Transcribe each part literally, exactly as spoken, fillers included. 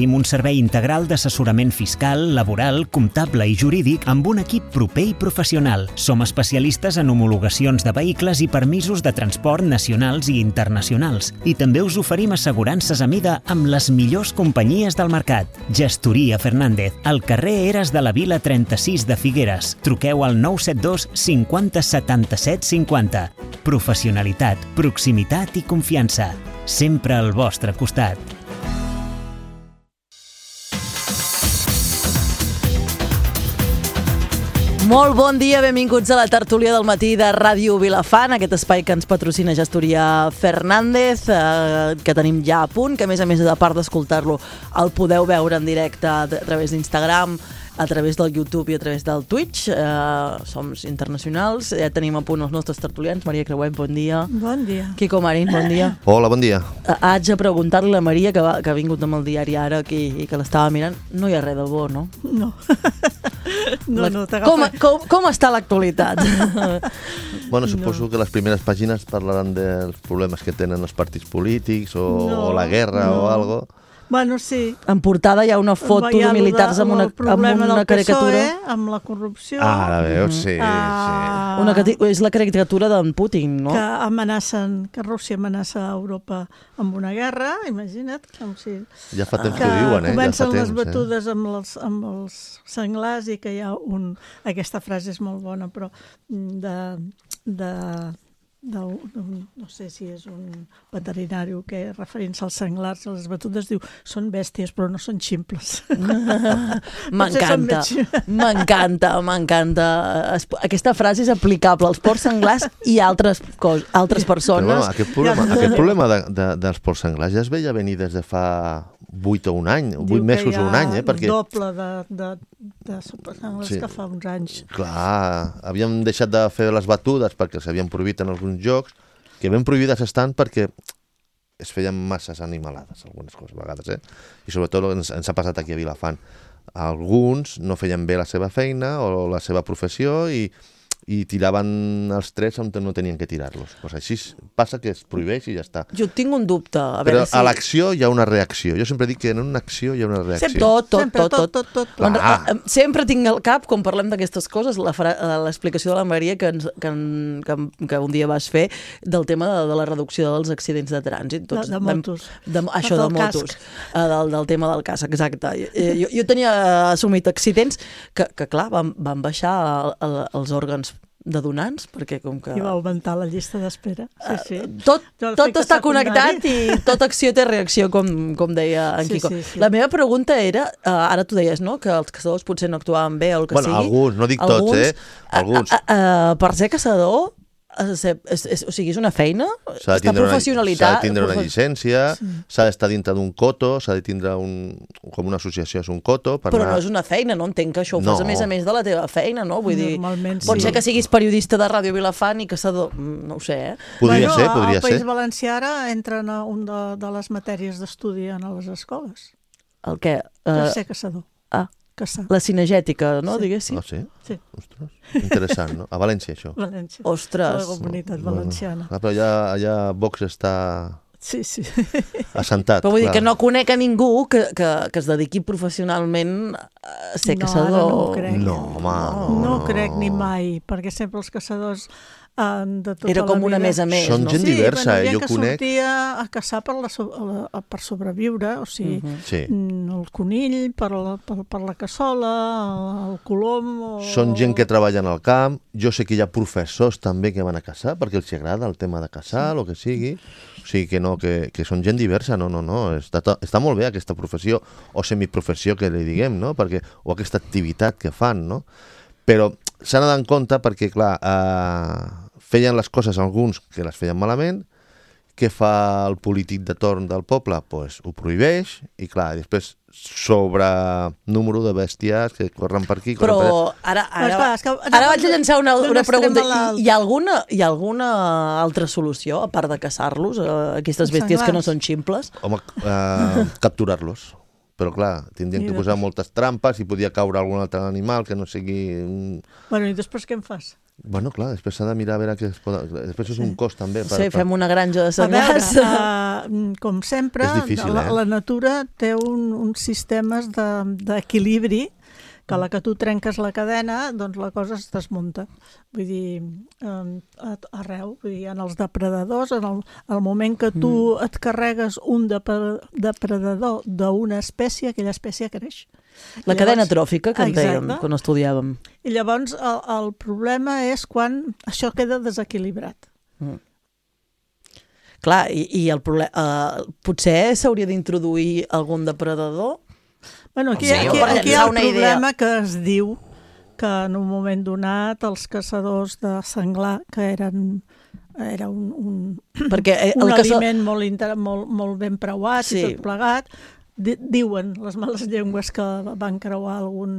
Tenim un servei integral d'assessorament fiscal, laboral, comptable i jurídic amb un equip proper i professional. Som especialistes en homologacions de vehicles i permisos de transport nacionals i internacionals. I també us oferim assegurances a mida amb les millors companyies del mercat. Gestoria Fernández, al carrer Eres de la Vila trenta-sis de Figueres. Truqueu al nou set dos cinquanta setanta-set cinquanta. Professionalitat, proximitat i confiança. Sempre al vostre costat. Molt bon dia, benvinguts a la tertúlia del matí de Ràdio Vilafant, aquest espai que ens patrocina Gestoria Fernández, eh, que tenim ja a punt, que a més a més, a part d'escoltar-lo, el podeu veure en directe a través d'Instagram, a través del YouTube i a través del Twitch. Eh, som internacionals, ja tenim a punt els nostres tertulians. Maria Creuet, bon dia. Bon dia. Quico Marín, bon dia. Hola, bon dia. Eh, haig de preguntar-li a la Maria, que, va, que ha vingut amb el diari ara aquí i que l'estava mirant, no hi ha res de bo, no? No. No, La, no, com, com, com està l'actualitat? Bueno, suposo no. que les primeres pàgines parlaran dels problemes que tenen els partits polítics o, no, o la guerra no. o algo. Bueno, sí. En portada hi ha una foto hi ha de militars amb una, amb una caricatura. P S O E, amb la corrupció. Ah, ara veus, sí. Ah, sí. Una, és la caricatura d'en Putin, no? Que amenacen, que Rússia amenaça a Europa amb una guerra, imagina't. Com si... Ja fa temps que, que ho diuen, eh? Que comencen ja fa les temps, batudes eh? amb, els, amb els senglars i que hi ha un... Aquesta frase és molt bona, però de... de De, de, no sé si és un veterinari que referint-se als senglars, a les batudes, diu són bèsties però no són ximples. M'encanta, m'encanta, m'encanta. Aquesta frase és aplicable als porcs senglars i altres, cos, altres persones. Però, bueno, aquest problema, aquest problema de, de, dels porcs senglars ja es veia venir des de fa vuit o un any, vuit mesos o un any, eh? Perquè... el doble de, de, de senglars sí. Que fa uns anys. Clar, havíem deixat de fer les batudes perquè s'havien prohibit en alguns jocs, que ben prohibides estan perquè es feien masses animalades, algunes coses a vegades, eh? I sobretot ens, ens ha passat aquí a Vilafant. Alguns no feien bé la seva feina o la seva professió i i tiraven els trets on no tenien que tirar-los. Pues així passa que es prohibeix i ja està. Jo tinc un dubte. A Però si... a l'acció hi ha una reacció. Jo sempre dic que en una acció hi ha una reacció. Sempre, tot, tot, sempre, tot, tot, tot. tot. Ah. Sempre tinc al cap, quan parlem d'aquestes coses, l'explicació de la Maria que, ens, que, que, que un dia vas fer del tema de, de la reducció dels accidents de trànsit. Tots, de, de motos. De, això de motos. Del, del tema del casc, exacte. Jo, jo tenia assumit accidents que, que clar, van, van baixar el, el, els òrgans de donants, perquè com que... I va augmentar la llista d'espera. Sí, sí. Uh, tot tot està connectat i tota acció té reacció, com, com deia en sí, Quico. Sí, sí. La meva pregunta era, uh, ara tu deies, no?, que els caçadors potser no actuaven bé o el que bueno, sigui. Alguns, no dic alguns, tots, eh? Alguns. Uh, uh, uh, per ser caçador, és, és, és, o sigui, és una feina? S'ha de tindre, una, s'ha de tindre una llicència, s'ha sí. d'estar dintre d'un coto, s'ha de tindre un, com una associació és un coto. Per Però anar... no és una feina, no entenc que això ho no. fas a més a més de la teva feina, no? Vull dir, pot sí. ser que siguis periodista de Ràdio Vilafant i caçador, no ho sé, eh? Podria bueno, ser, podria ser. Al País ser. Valencià ara entra en un de, de les matèries d'estudi en les escoles. El què? Per Uh... ser caçador. Ah. Caçar. La cinegètica, no, sí. diguéssim? Ah, sí? Sí. Ostres, interessant, no? A València, això. València. Ostres. La comunitat valenciana. No, però allà, allà Vox està sí, sí. assentat. Però vull clar. dir que no conec a ningú que, que, que es dediqui professionalment a ser no, caçador. No, no ho crec. No, home, no, no, no no, crec ni no. mai, perquè sempre els caçadors de tota era com la vida. una més a més, Són no? gent sí, diversa, bueno, eh? Jo que conec... sortia a caçar per, la, la, per sobreviure, o sigui, Uh-huh. sí. el conill, per la, per, per la cassola, el colom... O... Són gent que treballa en el camp. Jo sé que hi ha professors també que van a caçar, perquè els agrada el tema de caçar, sí. el que sigui. O sigui que no, que, que són gent diversa, no, no, no. Està, està molt bé aquesta professió, o semiprofessió que li diguem, no? Perquè, o aquesta activitat que fan, no? Però s'ha d'anar en compte perquè, clar, eh, feien les coses alguns que les feien malament. Què fa el polític de torn del poble? Pues ho prohibeix i, clar, després sobre número de bèsties que corren per aquí... Però per ara, ara, Però, clar, és que, ara vaig a llançar una, una pregunta. I, hi, ha alguna, hi ha alguna altra solució, a part de caçar-los, eh, aquestes bèsties que no són ximples? Home, eh, capturar-los. però clar, tindrien que posar moltes trampes i podia caure algun altre animal que no sigui... Bueno, i després què en fas? Bueno, clar, després s'ha de mirar a veure què es pot... Després és un cost també. Per, sí, per... fem una granja de senglars. A veure, uh, com sempre, difícil, la, eh? la natura té un, uns sistemes d'equilibri de, que a la que tu trenques la cadena, doncs la cosa es desmunta. Vull dir, eh, arreu, vull dir, en els depredadors, en el, el moment que tu mm. et carregues un depredador d'una espècie, aquella espècie creix. La llavors, cadena tròfica que en dèiem quan estudiàvem. I llavors el, el problema és quan això queda desequilibrat. Mm. Clar, i, i el problema, uh, potser s'hauria d'introduir algun depredador. Bueno, aquí, sí, aquí, aquí hi ha el problema idea. Que es diu que en un moment donat els caçadors de senglar, que eren era un, un, Perquè el un caça... aliment molt, inter... molt, molt ben preuat sí. i tot plegat, di diuen les males llengües que van creuar algun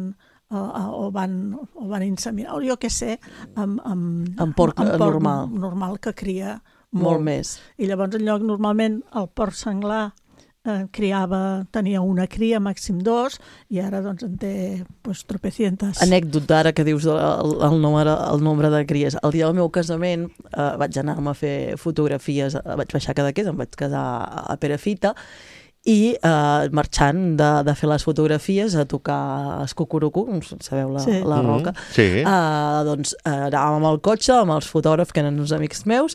uh, o, van, o van inseminar, o jo què sé, amb, amb, amb porc, amb porc normal. normal que cria molt. molt més. I llavors en lloc normalment el porc senglar Eh, criava, tenia una cria, màxim dos, i ara doncs en té pues, tropecientes. Anècdota ara que dius el, el, nombre, el nombre de cries. El dia del meu casament eh, vaig anar-me a fer fotografies, vaig baixar a Cadaqués, em vaig quedar a Perafita, i eh, marxant de, de fer les fotografies a tocar Escucurucu, sabeu la, sí. la roca, mm-hmm. sí. eh, doncs eh, anàvem amb el cotxe, amb els fotògrafs que eren uns amics meus,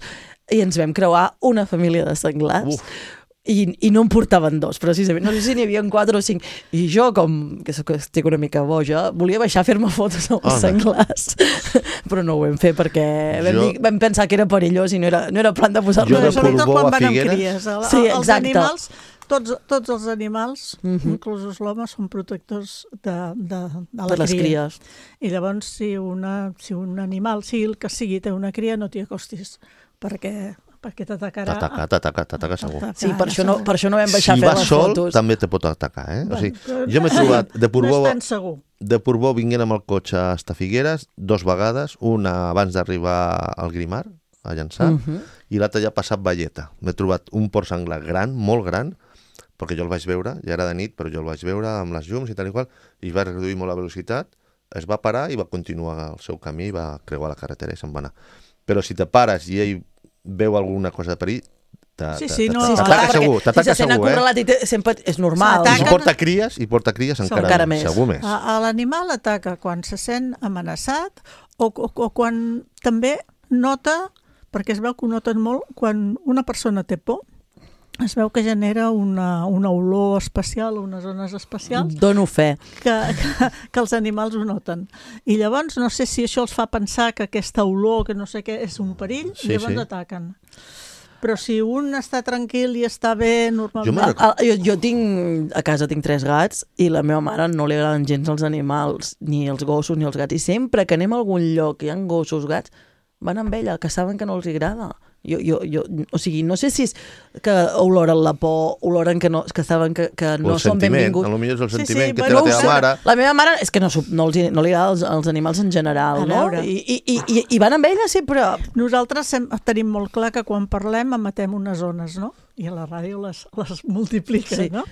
i ens vam creuar una família de senglars. Uf. I, i no en portaven dos, precisament. No sé si n'hi havia quatre o cinc. I jo, com que soc, estic una mica boja, volia baixar a fer-me fotos amb els senglars. Però no ho vam fer perquè vam, jo... dir, vam pensar que era perillós i no era, no era plan de posar-lo. Jo de Portbou a Figueres... Sí, els animals, tots, tots els animals, uh-huh. inclús l'home, són protectors de, de, de la de les cria. Cries. I llavors, si, una, si un animal, sigui el que sigui, té una cria, no t'hi acostis, perquè... perquè t'atacarà. T'ataca, t'ataca, t'ataca segur. Sí, per això no, per això no vam baixar si a fer les sol, fotos. Si vas sol, també te pot atacar, eh? O sigui, jo m'he trobat de Portbou... No és tan segur. De Portbou vinguent amb el cotxe hasta Figueres, dos vegades, una abans d'arribar al Grimar, a llançar, uh -huh. i l'altra ja ha passat Valleta. M'he trobat un porc senglar gran, molt gran, perquè jo el vaig veure, ja era de nit, però jo el vaig veure amb les llums i tal i qual, i va reduir molt la velocitat, es va parar i va continuar el seu camí, va creuar la carretera i se'n va anar. Però si te pares i ell veu alguna cosa de perill, sí, sí, no, t'ataca segur, t'ataca si segur, eh? I sempre és normal. I si porta cries, i porta cries encara, encara més, segur més. L'animal ataca quan se sent amenaçat o, o, o quan també nota, perquè es veu que ho noten molt, quan una persona té por, es veu que genera una, una olor especial, unes zones especials. Dono fe. Que, que, que els animals ho noten. I llavors, no sé si això els fa pensar que aquesta olor, que no sé què, és un perill, sí, i llavors sí. ataquen. Però si un està tranquil i està bé, normalment... Jo, jo, jo tinc, a casa tinc tres gats i la meva mare no li agraden gens els animals, ni els gossos ni els gats. I sempre que anem a algun lloc que hi ha gossos, gats, van amb ella, que saben que no els agrada. Jo, jo, jo, o sigui, no sé si és que oloren la por, oloren que, no, que saben que, que no són benvinguts. Potser és el sentiment sí, sí, que té la teva mare. La meva mare és que no, no, els, no li agrada els, els animals en general, no? I, i, i, I van amb ella sempre. Nosaltres sem, tenim molt clar que quan parlem emetem unes zones, no? I a la ràdio les, les multiplica, sí. no?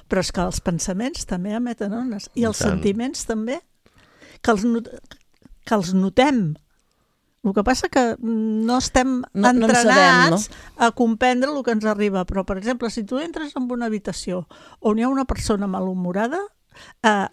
Però és que els pensaments també emeten ones. I els sentiments també, que els, not, que els notem. El que passa que no estem no, entrenats no sabem, no? a comprendre el que ens arriba. Però, per exemple, si tu entres en una habitació on hi ha una persona malhumorada, eh,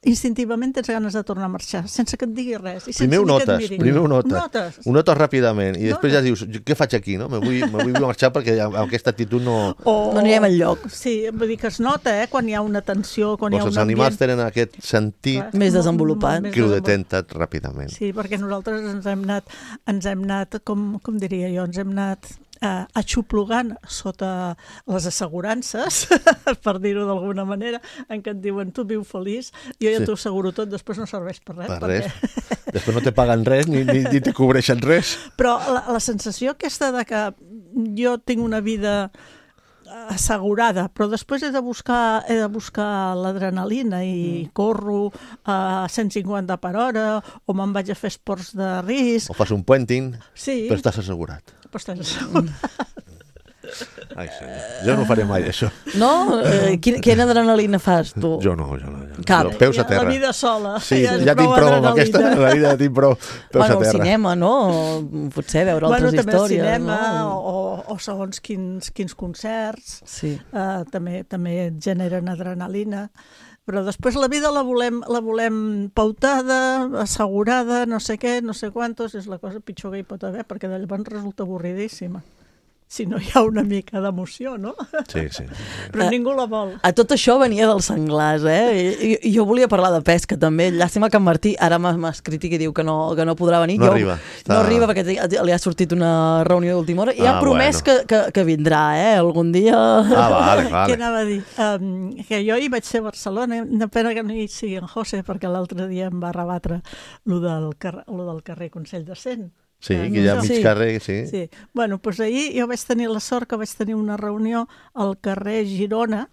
instintivament tens ganes de tornar a marxar, sense que et digui res. I primer ho notes, primer ho notes. notes. Ho notes ràpidament i després ja dius, què faig aquí? No? Me vull, me vull marxar perquè amb aquesta actitud no... O, no anirem enlloc. Sí, vull dir que es nota, eh, quan hi ha una tensió, quan pues hi ha un ambient... Els animals tenen aquest sentit Clar, més desenvolupat. Que ho detenten ràpidament. Sí, perquè nosaltres ens hem anat, ens hem anat com, com diria jo, ens hem anat eh, aixoplugant sota les assegurances, per dir-ho d'alguna manera, en què et diuen tu viu feliç, jo ja sí. t'ho asseguro tot, després no serveix per res. Per perquè... res. Després no te paguen res ni, ni, ni te cobreixen res. Però la, la sensació aquesta de que jo tinc una vida assegurada, però després he de buscar, he de buscar l'adrenalina i mm. corro a cent cinquanta per hora o me'n vaig a fer esports de risc. O fas un puenting, sí. però estàs assegurat. Però estàs assegurat. Ai, senyor. Jo no faré mai això. No? Eh, quina, quina adrenalina fas, tu? Jo no, jo no. Jo. Cap. Jo, peus a terra. La vida sola. Sí, ja, ja tinc prou amb aquesta. La vida ja tinc prou. Peus Bueno, a al terra. cinema, no? Potser veure bueno, altres també històries. al cinema, no? o, o segons quins, quins concerts, Sí. uh, també, també et generen adrenalina. Però després la vida la volem, la volem pautada, assegurada, no sé què, no sé quantos, és la cosa pitjor que hi pot haver, perquè de llavors resulta avorridíssima. Si no hi ha una mica d'emoció, no? Sí, sí. Però ningú la vol. A tot això venia dels senglars, eh? I, i jo volia parlar de pesca, també. Llàstima que en Martí ara m'ha m'ha escrit i que diu que no, que no podrà venir. No jo, arriba. Està... No arriba perquè li ha sortit una reunió d'última hora i ha Ah, promès bueno. que, que, que vindrà, eh? Algun dia... Ah, vale, Què vale. anava a dir? Um, que jo hi vaig ser a Barcelona, una pena que no hi sigui en José, perquè l'altre dia em va rebatre lo del, car lo del carrer Consell de Cent. Sí, que hi ha mig Sí. carrer, sí. Sí. Bueno, doncs ahir jo vaig tenir la sort que vaig tenir una reunió al carrer Girona,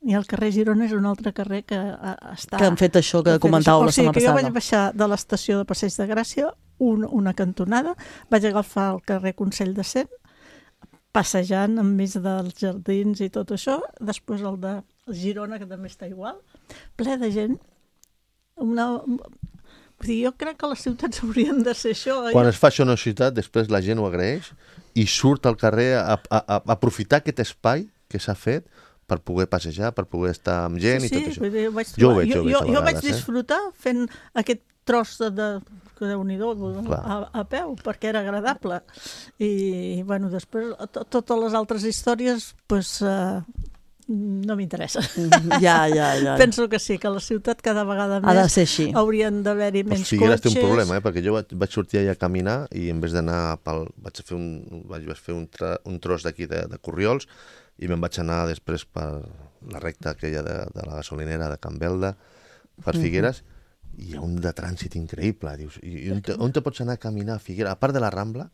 i el carrer Girona és un altre carrer que uh, està... Que han fet això que comentàveu la setmana O sigui, que jo passada. vaig baixar de l'estació de Passeig de Gràcia, un, una cantonada, vaig agafar el carrer Consell de Cent, passejant enmig dels jardins i tot això, després el de Girona, que també està igual, ple de gent. Una... Vull dir, jo crec que les ciutats haurien de ser això. Quan es fa això en una ciutat, després la gent ho agraeix i surt al carrer a, a, a aprofitar aquest espai que s'ha fet per poder passejar, per poder estar amb gent sí, i tot sí, això. vull dir, ho vaig Jo ho trobar- veig, jo ho veig jo, a jo vaig vegades, eh? disfrutar fent aquest tros de, de que Déu-n'hi-do, Clar. a, a peu, perquè era agradable. I, bueno, després, to, totes les altres històries, pues, uh, no m'interessa. Ja, ja, ja. Penso que sí, que la ciutat cada vegada Ha de més ser així. haurien d'haver-hi Pues menys Figueres té cotxes. un problema, eh? Perquè jo vaig, vaig sortir allà a caminar i en vez d'anar pel... Vaig fer un, vaig fer un, tra, un tros d'aquí de, de Corriols i me'n vaig anar després per la recta aquella de, de la gasolinera de Can Belda, per Figueres, i hi ha un de trànsit increïble. Dius, i, i on, te, on te pots anar a caminar a Figueres? A part de la Rambla,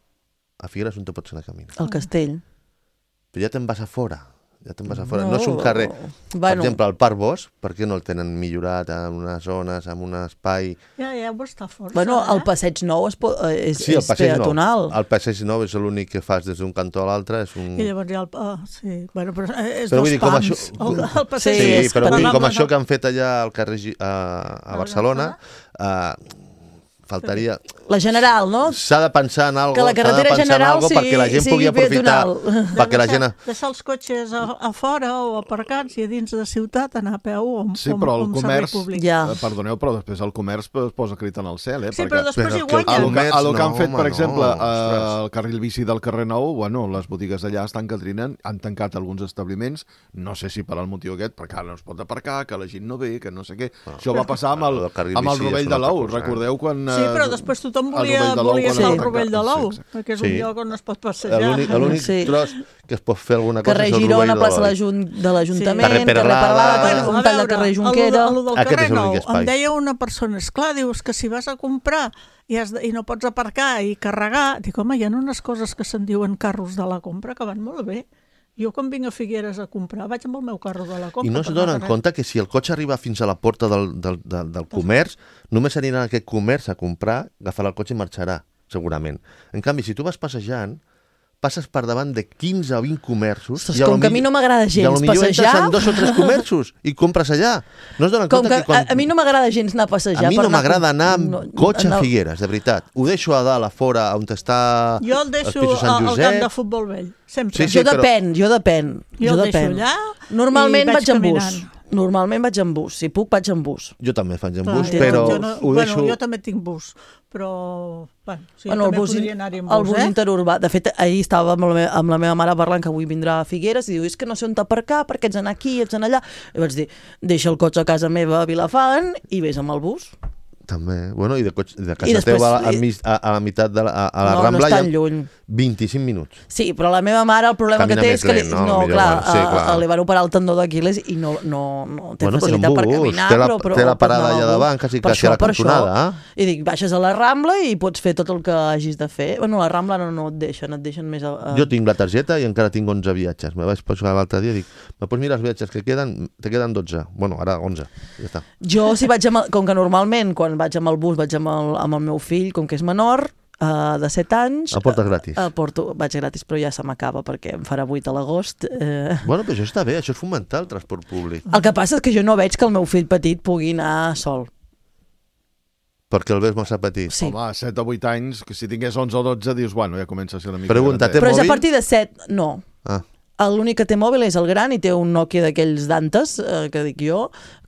a Figueres on te pots anar a caminar? El castell. Però ja te'n vas a fora. Ja te'n vas a fora. No, no és un carrer... Per Bueno, exemple, el Parc Bosch, per què no el tenen millorat en unes zones, en un espai... Ja, ja, ho està força. bueno, el eh? passeig nou és, po- eh, és, Sí, el és passeig nou. peatonal. El passeig nou és l'únic que fas des d'un cantó a l'altre. És un... I llavors hi ha el... Ah, sí, bueno, però és Però dos vull dir, com pams. això- El, el passeig Sí, Sí, és però vull dir, petit. com això que han fet allà al carrer Gi- a, a Barcelona, uh, faltaria... La general, no? S'ha de pensar en algo, Que la s'ha de carretera pensar en general algo perquè la gent sigui pugui aprofitar, peatonal. perquè la gent... Deixar, deixar els cotxes a, a fora o aparcats i a dins de ciutat anar a peu o amb, Sí, o amb- però o el amb servei comerç, públic. Ja. eh, perdoneu, però després el comerç es posa crit en el cel, eh? Sí, però després Però hi que el guanyen. El que, comerç, el que han no, fet, per home, exemple, no, eh, ostres. el carril bici del carrer Nou, bueno, les botigues d'allà estan que trinen, han tancat alguns establiments, no sé si per al motiu aquest, perquè ara no es pot aparcar, que la gent no ve, que no sé què. Això va passar amb el, el carril amb el bici és Rovell una de l'Ou, altra cosa, eh? recordeu quan... Sí, però eh, després tothom el volia, Rovell de l'Ou, volia quan fer el el van Rovell de tancar. l'Ou, Sí, sí. perquè és Sí. un lloc on es pot passejar. L'únic l'únic Sí. tros que es pot fer alguna cosa Carrer és el Girona, Rovell plaça de de l'Ou. l'Ajun- de l'Ajuntament, Carrer carrer Peralada. Peralada, Bueno, un a tall de veure, carrer el Junquera... del- el del Aquest carrer és l'únic Nou, espai. em deia una persona, esclar, dius que si vas a comprar i, has de, i no pots aparcar i carregar, dic, home, hi ha unes coses que se'n diuen carros de la compra que van molt bé. Jo quan vinc a Figueres a comprar vaig amb el meu carro de la compra. I no es per donen anar compte que si el cotxe arriba fins a la porta del, del, del, del comerç, només anirà a aquest comerç a comprar, agafarà el cotxe i marxarà, segurament. En canvi, si tu vas passejant, passes per davant de quinze o vint comerços... Ostres, i a com lo que a mi millor- no m'agrada i a gens lo millor passejar. entres en dos o tres comerços i compres allà. No es donen Com compte que que quan... a, a mi no m'agrada gens anar a passejar. A mi per no m'agrada anar amb no, cotxe anar- a Figueres, de veritat. Ho deixo a dalt, a fora, on està Jo el els deixo pisos Sant al, al Josep. camp de futbol vell, sempre. Sí, sí, Jo però- depèn, jo depèn. Jo Jo el deixo depèn. allà Normalment i vaig vaig en bus. caminant. Normalment vaig en bus. Si puc, vaig en bus. Jo també faig en Clar, bus, jo- però jo no, ho deixo... bueno, jo també tinc bus, però bueno, sí, Bueno, el també bus, podria anar-hi amb el bus, bus eh? interurbà. De fet, ahir estava amb la, me amb la meva mare parlant que avui vindrà a Figueres i diu, és que no sé on aparcar, perquè ets anar aquí, ets anar allà. I vaig dir, deixa el cotxe a casa meva a Vilafant i vés amb el bus. També, bueno, i de, cotxe, de I casa després- teva a, a, a, a la meitat de la, a, a la no, Rambla no és tan hi ha lluny. vint-i-cinc minuts. Sí, però la meva mare el problema Camina que té més és que li, lent, no? no, Millor, clar, bueno, sí, clar. a, a, li van operar el tendó d'Aquiles i no, no, no té Bueno, doncs facilitat en per bus, caminar, té la- però, però té la pot parada anar allà amb davant, bus. quasi- Per quasi a la això, per cantonada, això. eh? I dic, baixes a la Rambla i pots fer tot el que hagis de fer. Bueno, a la Rambla no, no et deixen, et deixen més... A, a... Jo tinc la targeta i encara tinc onze viatges. Me vaig posar l'altre dia i dic, me pots mirar els viatges que queden? Te queden dotze. Bueno, ara onze. Ja està. Jo, si vaig amb el, com que normalment quan vaig amb el bus vaig amb el, amb el meu fill, com que és menor, uh, de set anys. El portes gratis. El porto, vaig gratis, però ja se m'acaba perquè em farà vuit a l'agost. Eh... Bueno, però això està bé, això és fomentar el transport públic. El que passa és que jo no veig que el meu fill petit pugui anar sol. Perquè el veus massa petit. Sí. Home, set o vuit anys, que si tingués onze o dotze, dius, bueno, ja comença a ser una mica... Pregunta, grandet. té Però és a mòbil? partir de set, no. Ah. L'únic que té mòbil és el gran i té un Nokia d'aquells d'antes, eh, que dic jo,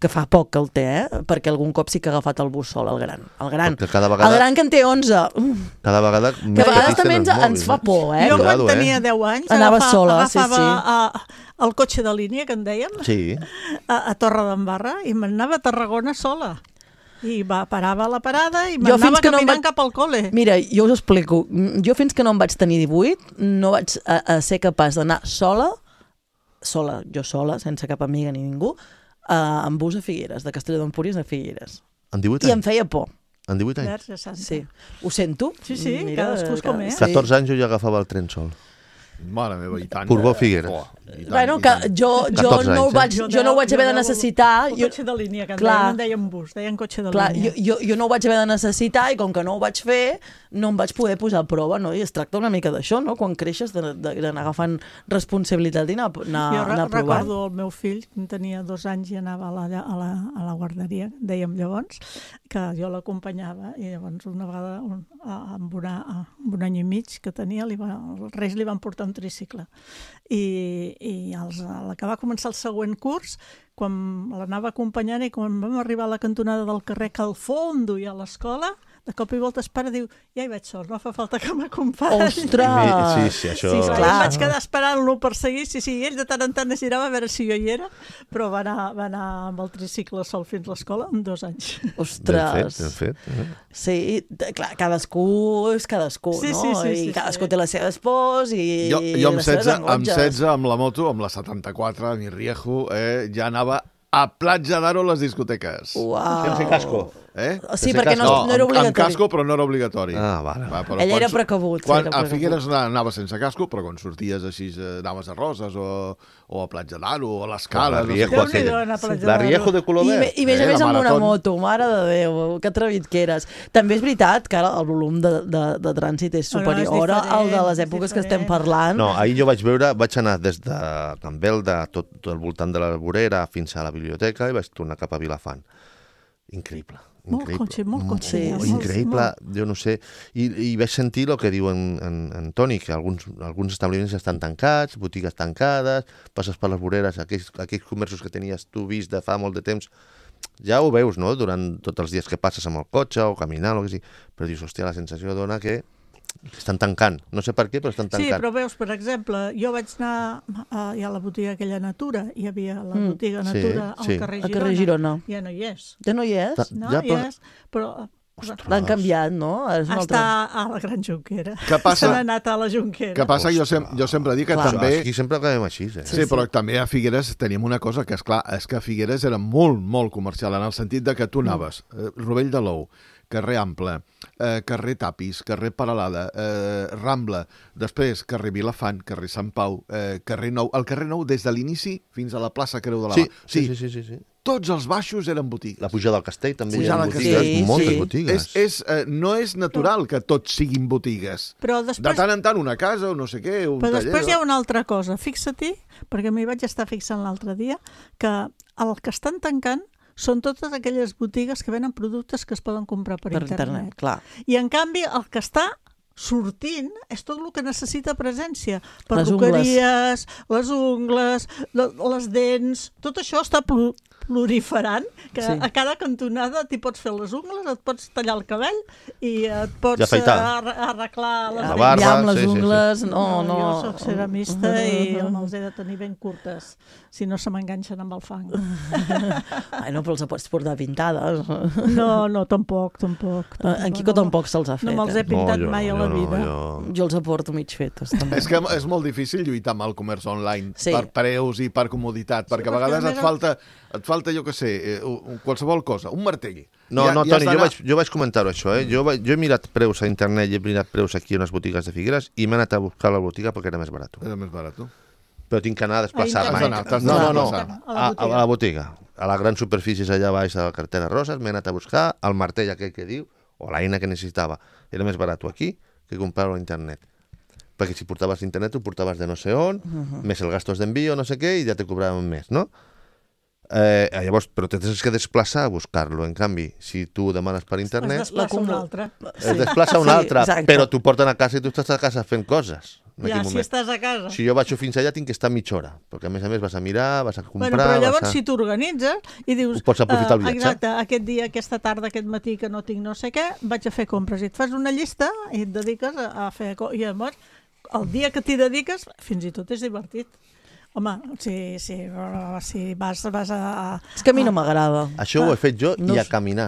que fa poc que el té, eh? Perquè algun cop sí que ha agafat el bus sol, el gran. El gran, Perquè cada vegada- el gran que en té onze. Mm. Cada vegada Que més a vegades petits també tenen ens, els ens mòbils, fa por, eh? Jo Cuidado, quan eh? tenia deu anys Anava agafa, sola, sí, agafava sí. A, el cotxe de línia, que en dèiem, Sí. a, a Torre d'Embarra, i m'anava a Tarragona sola. I va, parava a la parada i Jo fins m'anava que no em caminant vaig- cap al col·le. Mira, jo us ho explico. Jo fins que no em vaig tenir divuit no vaig a, a ser capaç d'anar sola, sola, jo sola, sense cap amiga ni ningú, a, amb bus a Figueres, de Castelló d'Empúries a Figueres. En divuit I em anys? feia por. En divuit anys? Verge Santa. Sí. Ho sento. Sí, sí, cadascú és com és. sí. catorze anys jo ja agafava el tren sol. Mare meva, i tant. Portbou Figueres. Oh, i tant, Bueno, i que tant. jo, jo, catorze no ho anys, eh? vaig, jo no ho vaig haver de necessitar. El Jo, cotxe de línia, que en Clar. deien, en deien bus, deien cotxe de clar, jo, línia. jo, jo no ho vaig haver de necessitar i com que no ho vaig fer, no em vaig poder posar a prova, no? I es tracta una mica d'això, no? Quan creixes, de- de- d'anar agafant responsabilitat i anar, anar, Jo re anar provant. recordo el meu fill, que tenia dos anys i anava a la, a la, a la guarderia, dèiem llavors, que jo l'acompanyava i llavors una vegada, un, a- amb, una, amb un any i mig que tenia, li va, els Reis li van portar un tricicle. I, i els, a la que va començar el següent curs, quan l'anava acompanyant i quan vam arribar a la cantonada del carrer que al fons duia a l'escola, de cop i volta es para i diu, ja hi vaig sol, no fa falta que m'acompanyi. Ostres! Mi- sí, sí, això- Sí, Clar. clar, i em vaig quedar esperant-lo per seguir, sí, sí, i ell de tant en tant es girava a veure si jo hi era, però va anar, va anar amb el tricicle sol fins a l'escola amb dos anys. Ben fet, Ostres! ben fet. Eh? Sí, de- clar, cadascú és cadascú, Sí, no? sí, sí, sí, I cadascú sí. té les seves pors i Jo, jo amb, les seves setze, amb engonges. setze, amb la moto, amb la setanta-quatre, a mi Riejo, eh, ja anava a Platja d'Aro a les discoteques. Uau. Sense casco. Eh? Sí, Sense perquè no, casco. no era amb, amb obligatori. casco, però no era obligatori. Ah, vale. Va, però Ell quan era su- precavut, sí, Quan era a precavut. Figueres anava sense casco, però quan sorties així eh, anaves a Roses o, o a Platja d'Aro o a La l'Escala. No sé Riejo, què. Déu-n'hi-do, aquella. anar a Platja La d'Aro. Riejo de color I, me, verd. I més Eh, a més la amb una marató. moto, mare de Déu, que atrevit que eres. També és veritat que ara el volum de, de, de trànsit és Bueno, és superior al de les diferent, èpoques és que estem diferent. parlant. No, ahir jo vaig veure, vaig anar des de Can Belda, tot, tot al voltant de la vorera, fins a la biblioteca i vaig tornar cap a Vilafant. Increïble. Molt increïble. cotxe, molt cotxe, Sí, Molt sí, sí. increïble, jo no sé. I, i vaig sentir el que diu en, en, en Toni, que alguns, alguns establiments estan tancats, botigues tancades, passes per les voreres, aquells, aquells comerços que tenies tu vist de fa molt de temps, ja ho veus, no?, durant tots els dies que passes amb el cotxe o caminant o el que sigui, però dius, hòstia, la sensació dona que estan tancant. No sé per què, però estan Sí, tancant. però veus, per exemple, jo vaig anar a, a la botiga aquella Natura, hi havia la Mm. botiga Sí, Natura al sí. carrer Al Girona. carrer Girona. Ja no hi és. Ja no hi és? Ta- No, Ja, hi però- és, però... L'han canviat, no? És una Està altra... a la Gran Junquera. Què passa? Se n'ha anat a la Junquera. Què passa? Jo, sem jo sempre dic que Clar. també... Aquí sempre acabem així, eh? Sí, però també a Figueres teníem una cosa que, és clar, és que Figueres era molt, molt comercial, en el sentit de que tu anaves, eh, Rovell de l'Ou, carrer Ample, eh, carrer Tapis, carrer Paralada, eh, Rambla, després carrer Vilafant, carrer Sant Pau, eh, carrer Nou, el carrer Nou des de l'inici fins a la plaça Creu de la Sí, Mà. sí, sí, sí, sí, sí. Tots els baixos eren botigues. La pujada del castell també hi Pujada ha del botigues, Castell. moltes Sí, sí. botigues. És, és, eh, no és natural que tots siguin botigues. Però De després, tant en tant una casa o no sé què, un però taller... després hi ha una altra cosa. Fixa-t'hi, perquè m'hi vaig estar fixant l'altre dia, que el que estan tancant són totes aquelles botigues que venen productes que es poden comprar per, Per internet. internet, clar. I en canvi el que està sortint és tot el que necessita presència. Les Perruqueries, les ungles, le- les dents, tot això està plu- proliferant, que Sí. sí. A cada cantonada t'hi pots fer les ungles, et pots tallar el cabell i et pots I afaitar. eh, arre- arreglar les La dents. barba, Ja amb les sí, sí, sí. ungles, no, no... Jo soc ceramista i me'ls he de tenir ben curtes, si no se m'enganxen amb el fang. Ai, no, però els pots portar pintades. No, no, tampoc, tampoc. tampoc En Quico no, tampoc se'ls ha fet. No me'ls he eh? pintat jo mai a jo la no, vida. jo- Jo els aporto mig fetos, també. És que és molt difícil lluitar amb el comerç online Sí. per preus i per comoditat, perquè a perquè vegades a et més- falta, et falta, jo què sé, eh, un- qualsevol cosa, un martell. No, Ja- no, ja has Toni, jo d'anar- vaig, jo vaig comentar-ho, això, eh? Jo, vaig, jo he mirat preus a internet i he mirat preus aquí a unes botigues de Figueres i m'he anat a buscar la botiga perquè era més barat. Era més barat, tu. Però tinc que anar a desplaçar-me. Has d'anar, t'has no, d'anar no, a no, desplaçar. A la a, botiga. a la botiga. A les grans superfícies allà baix de la carretera Roses m'he anat a buscar el martell aquell que diu, o l'eina que necessitava, era més barat aquí que comprar-ho a internet. Perquè si portaves internet, ho portaves de no sé on, uh-huh. més el gastos d'envio, no sé què, i ja te cobraven més, no? Eh, llavors, però tens que desplaçar a buscar-lo. En canvi, si tu demanes per internet... Es desplaça un altre. Es desplaça un altre, sí, però t'ho porten a casa i tu estàs a casa fent coses. Ja, si estàs a casa. Si jo vaig fins allà tinc que estar mitja hora, perquè a més a més vas a mirar, vas a comprar... Bueno, però llavors a... si t'organitzes i dius... Ho pots aprofitar el viatge. Exacte, aquest dia, aquesta tarda, aquest matí que no tinc no sé què, vaig a fer compres. I et fas una llista i et dediques a fer... I llavors, el dia que t'hi dediques, fins i tot és divertit. Home, si, si, si vas, vas a... És que a mi no m'agrada. Això ho he fet jo no i a caminar.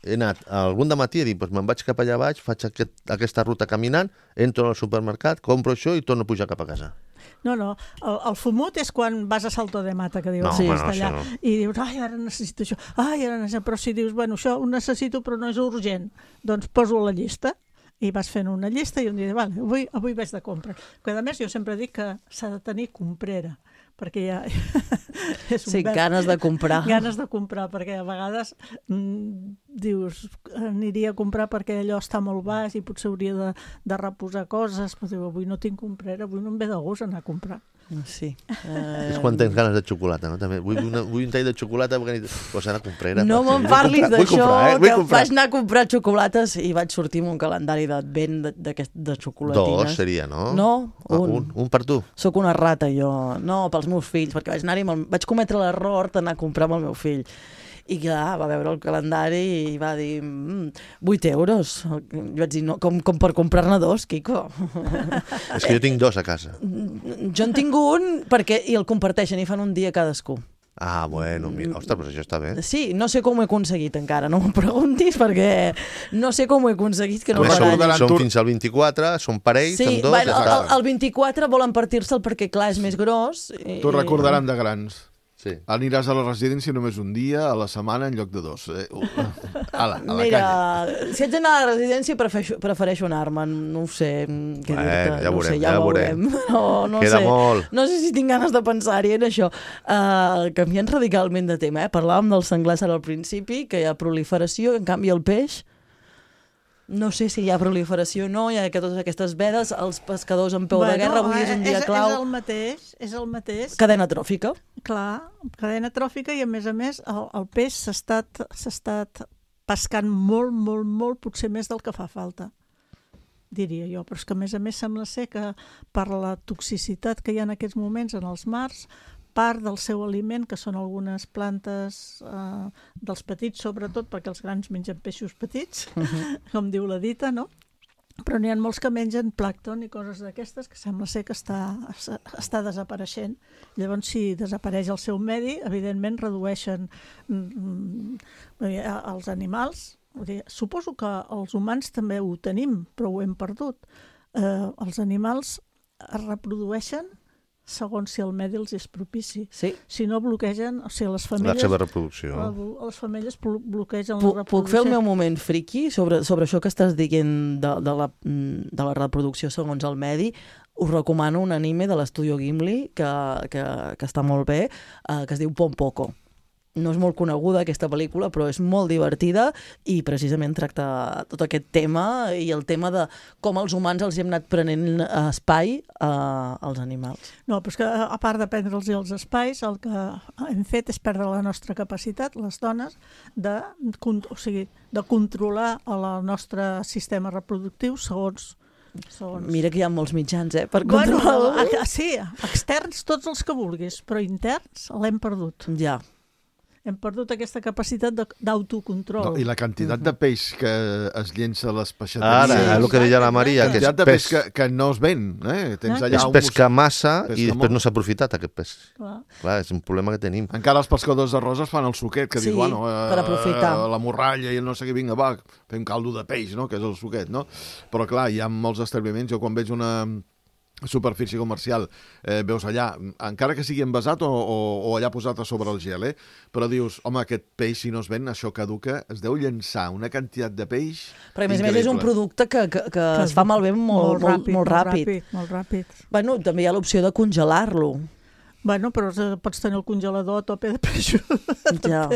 He anat algun dematí a dir, doncs me'n vaig cap allà baix, faig aquest, aquesta ruta caminant, entro al supermercat, compro això i torno a pujar cap a casa. No, no, el, el fumut és quan vas a Salto de Mata, que dius, no, sí, bueno, està allà, no. I dius, ai, ara necessito això, ai, ara necessito... Però si dius, bueno, això ho necessito però no és urgent, doncs poso a la llista. I vas fent una llista i un dia, vale, avui, avui vaig de compra. Que a més jo sempre dic que s'ha de tenir comprera, perquè ja... és un sí, verb. ganes de comprar. Ganes de comprar, perquè a vegades mm, dius, aniria a comprar perquè allò està molt baix i potser hauria de, de reposar coses, però diu, avui no tinc comprera, avui no em ve de gust anar a comprar. Sí. Eh... És quan tens ganes de xocolata, no? També vull, una, vull un tall de xocolata perquè pues ara comprera. No me'n parlis d'això, eh? que vaig anar a comprar xocolates i vaig sortir amb un calendari d'advent de, de xocolatines. Dos seria, no? No, un. Ah, un. Un per tu. Soc una rata, jo. No, pels meus fills, perquè vaig anar-hi, vaig cometre l'error d'anar a comprar amb el meu fill. I clar, va veure el calendari i va dir, mm, vuit euros. Jo vaig dir, no, com, com per comprar-ne dos, Quico? És que jo tinc dos a casa. Jo en tinc un perquè i el comparteixen i fan un dia cadascú. Ah, bueno, mira, ostres, però això està bé. Sí, no sé com ho he aconseguit encara, no m'ho preguntis perquè no sé com ho he aconseguit que no baralli. Som, som fins al vint-i-quatre, són parells, sí, amb dos... Bueno, el, el vint-i-quatre volen partir-se'l perquè, clar, és més gros. I... T'ho recordaran de grans. Sí. Aniràs a la residència només un dia a la setmana en lloc de dos. Eh, uh, ala, a la Mira, canya. Si haig d'anar a la residència prefereixo, prefereixo anar-me'n, no ho sé què bueno, dir-te, ja no veurem, sé, ja, ja veurem. No, no Queda sé. molt. No sé si tinc ganes de pensar-hi en això. Uh, canviant radicalment de tema, eh? Parlàvem dels senglars ara al principi, que hi ha proliferació, en canvi el peix... No sé si hi ha proliferació o no, hi ha que totes aquestes vedes, els pescadors en peu bueno, de guerra, avui és un dia és, clau. És el mateix, és el mateix. Cadena tròfica. Clar, cadena tròfica i a més a més el, el peix s'ha estat, s'ha estat pescant molt, molt, molt, potser més del que fa falta, diria jo. Però és que a més a més sembla ser que per la toxicitat que hi ha en aquests moments en els mars, part del seu aliment, que són algunes plantes eh, dels petits, sobretot, perquè els grans mengen peixos petits, uh-huh. com diu la dita, no? Però n'hi ha molts que mengen plàncton i coses d'aquestes que sembla ser que està, està desapareixent. Llavors, si desapareix el seu medi, evidentment redueixen mm, els animals. Suposo que els humans també ho tenim, però ho hem perdut. Eh, els animals es reprodueixen segons si el medi els és propici. Sí. Si no bloquegen, o sigui, les femelles... La seva reproducció. Les femelles bloquegen Puc, la reproducció. Puc fer el meu moment friki sobre, sobre això que estàs dient de, de, la, de la reproducció segons el medi? Us recomano un anime de l'Estudio Ghibli que, que, que està molt bé, eh, que es diu Pon Poko. No és molt coneguda aquesta pel·lícula, però és molt divertida i precisament tracta tot aquest tema i el tema de com els humans els hem anat prenent espai eh, als animals. No, però és que a part de prendre'ls els espais, el que hem fet és perdre la nostra capacitat, les dones, de, o sigui, de controlar el nostre sistema reproductiu segons Segons... Mira que hi ha molts mitjans, eh, per bueno, controlar-lo. Sí, externs tots els que vulguis, però interns l'hem perdut. Ja. Hem perdut aquesta capacitat d'autocontrol. No, I la quantitat de peix que es llença a les peixateries... Ara, sí, el que deia la Maria, que és quantitat de peix, peix que, que no es ven. Eh? Tens allà és un pescar massa pesca i després molt. no s'ha aprofitat aquest peix. Clar. Clar, és un problema que tenim. Encara els pescadors de roses fan el suquet, que sí, diu, bueno, eh, per aprofitar. la morralla i no sé què, vinga, va, fem caldo de peix, no?, que és el suquet, no? Però clar, hi ha molts establiments, jo quan veig una superfície comercial, eh, veus allà, encara que sigui envasat o, o, o allà posat a sobre el gel, eh? Però dius, home, aquest peix, si no es ven, això caduca, es deu llençar una quantitat de peix però a més a més és un producte que, que, que, que es fa malbé molt, molt, ràpid, molt, molt ràpid. ràpid. Molt ràpid. Bueno, també hi ha l'opció de congelar-lo. Bueno, però pots tenir el congelador a tope de peixos. Ja.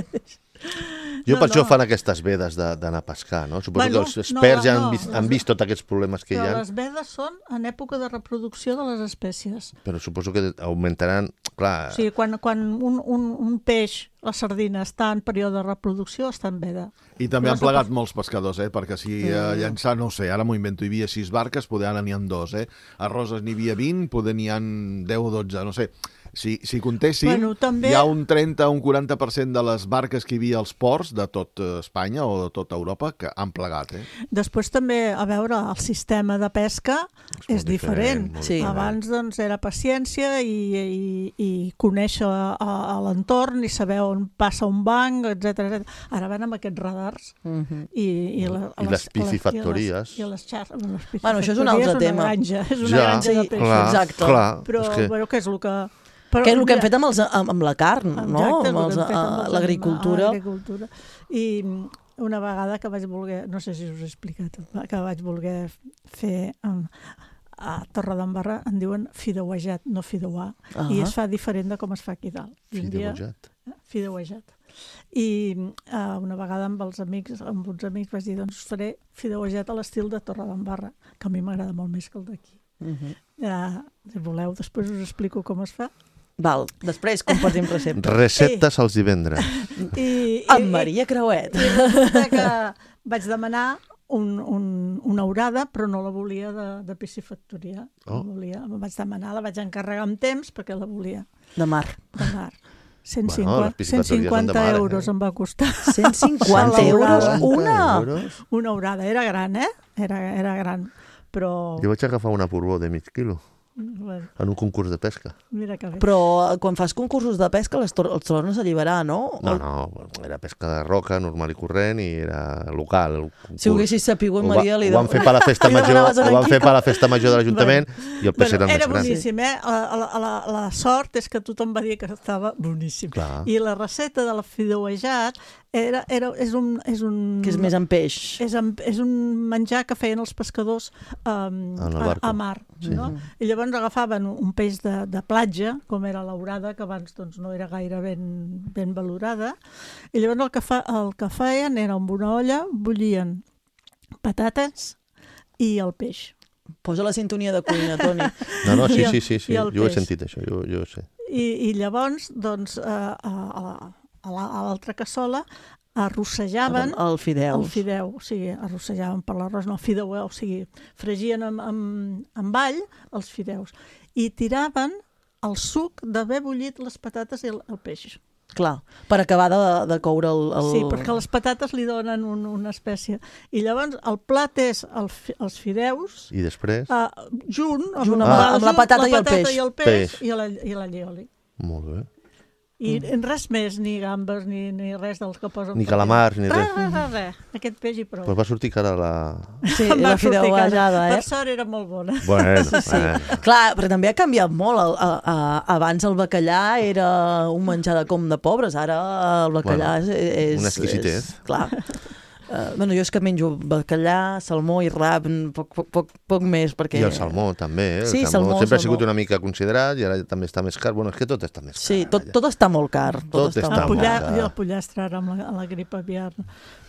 Jo No, per això no. fan aquestes vedes de- d'anar a pescar, no? Suposo Bueno, que els experts no, ja han no, vist, les- han vist tots aquests problemes que hi Però ha, les vedes són en època de reproducció de les espècies. però suposo que augmentaran... Clar, O sigui, quan, quan un, un, un peix, la sardina, està en període de reproducció, està en veda. I també han Però plegat molts pescadors, eh? Perquè si eh, llançar, no ho sé, ara m'ho invento, hi havia sis barques, poder ara n'hi ha dos, eh? A Roses n'hi havia vint, poder n'hi ha deu o dotze, no sé. Si, si contéssim, Bueno, també- hi ha un trenta o un quaranta per cent de les barques que hi havia als ports de tot eh, Espanya o de tota Europa que han plegat, eh? Després també, a veure, el sistema de pesca és, molt diferent. molt Sí. diferent. Abans doncs, era paciència i, i, i conèixer a, a l'entorn i saber on passa un banc, etcètera etcètera. Ara van amb aquests radars Mhm. i, i, la, a I les piscifactories. I les, i les xar... bueno, les Bueno, això és un altre piscifactories tema. És una granja, és una Ja, granja de sí, peixos. clar, Exacte. clar. Però, és que... però què és el que... Però, Que és el que hem mira, fet amb, els, amb, amb la carn, no? Exacte, Amb els, el que hem fet amb a- els l'agricultura. anima- a l'agricultura. I mm, una vegada que vaig voler, no sé si us he explicat, que vaig voler fer um, a Torredembarra, en diuen fideuejat, no fideuar, Ah. i es fa diferent de com es fa aquí dalt. I un dia- Fideuejat. Fideuejat. I uh, una vegada amb els amics, amb uns amics, vaig dir, doncs faré fideuejat a l'estil de Torredembarra, que a mi m'agrada molt més que el d'aquí. Mhm. Uh, si voleu, després us explico com es fa. Val, després compartim receptes. Receptes als divendres. I, i, Amb Maria Creuet. I resulta que vaig demanar un, un, una orada, però no la volia de, de piscifactoria. Oh. La volia, la vaig demanar, la vaig encarregar amb temps perquè la volia De mar. de mar. cent Bueno, cinquanta, les piscifactories cent cinquanta són de mar, eh? euros em va costar cent cinquanta Salva euros orada. una. euros? una orada. Era gran, eh? Era, era gran, però... Jo vaig agafar una porbó de mig quilo Bueno, en un concurs de pesca. mira que bé. Però eh, quan fas concursos de pesca els, tor els tornes a alliberar, no? No, no, era pesca de roca, normal i corrent, i era local. El concurs. Si ho haguessis sapigut, Ho va- Maria, li ho van fer per la festa li major, demanaves a ho van en fer Quico. per la festa major de l'Ajuntament i el peix Bueno, era el era més gran. boníssim, eh? La, la, la, la sort és que tothom va dir que estava boníssim. Clar. I la recepta de la fideuejat era, era, és, un, és un... Que és més en peix. És, en, és un menjar que feien els pescadors um, En el a, barco. a mar. Sí. No? I llavors agafaven un, un peix de, de platja, com era l'aurada, que abans doncs, no era gaire ben, ben valorada, i llavors el que, fa, el que feien era amb una olla, bullien patates i el peix. Posa la sintonia de cuina, Toni. No, no, sí, I el- sí, sí, sí. i el jo ho he peix. sentit, això, jo, jo ho sé. I, i llavors, doncs, a, a, a, a la- a l'altra cassola arrossejaven El fideu. el fideu, o sigui, arrossejaven per l'arròs, no, fideu, o sigui, fregien amb, amb, amb all els fideus i tiraven el suc d'haver bullit les patates i el, el peix. Clar, per acabar de, de coure el... el... Sí, perquè les patates li donen un, una espècie. I llavors el plat és el, fi- els fideus I després? uh, junt, amb, Junt una amb la- vegada amb la junt, patata i el patata peix. i el peix, Peix. i la, i la llioli. Molt bé. I mm. res més, ni gambes, ni, ni res dels que posen. Ni per calamars, ni res. res. Res, res, res. Aquest peix i prou. Però va sortir cara la... Sí, Em va la sortir fideuejada, cara. eh? Per sort era molt bona. Bueno, Sí, sí. bueno. Clar, però també ha canviat molt. El, a, a, abans el bacallà era un menjar de com de pobres, ara el bacallà Bueno, és, és... una exquisitez. És, clar. Uh, bueno, jo és que menjo bacallà, salmó i rap, poc, poc, poc, poc més, perquè... I el salmó també, eh? El Sí, salmó, salmó, sempre salmó. ha sigut una mica considerat i ara també està més car. Bueno, és que tot està més car. Sí, tot, allà. tot està molt car. Tot, Tot està, està El, molt molt pollar, car. car. i el pollastre ara amb la, amb la grip aviar.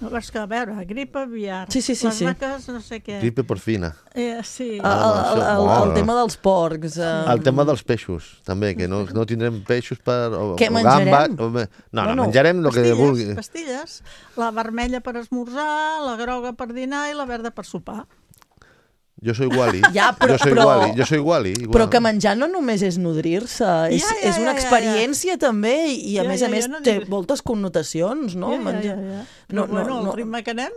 No, és que, a veure, grip aviar, Sí, sí, sí, les sí. vaques, no sé què. Gripe porcina. Eh, sí. El, el, el, el, el Bueno. tema dels porcs. Eh, El tema dels peixos, també, que no, no tindrem peixos per... O, Què o menjarem? gambes, o, no, no, Bueno, menjarem el que pastilles, vulgui. pastilles. La vermella per esmorzar, la groga per dinar i la verda per sopar. Jo soy Wally. Ja, però- jo soy però- Wally. Jo soy Wally. Igual. Però que menjar no només és nodrir-se, és, Ja, ja, és una ja, ja, experiència també i a Ja, més ja, a més ja, no té diguis. moltes connotacions, no? ja, ja, Menjar- ja, ja. No, No, bueno, no, el no. ritme que anem...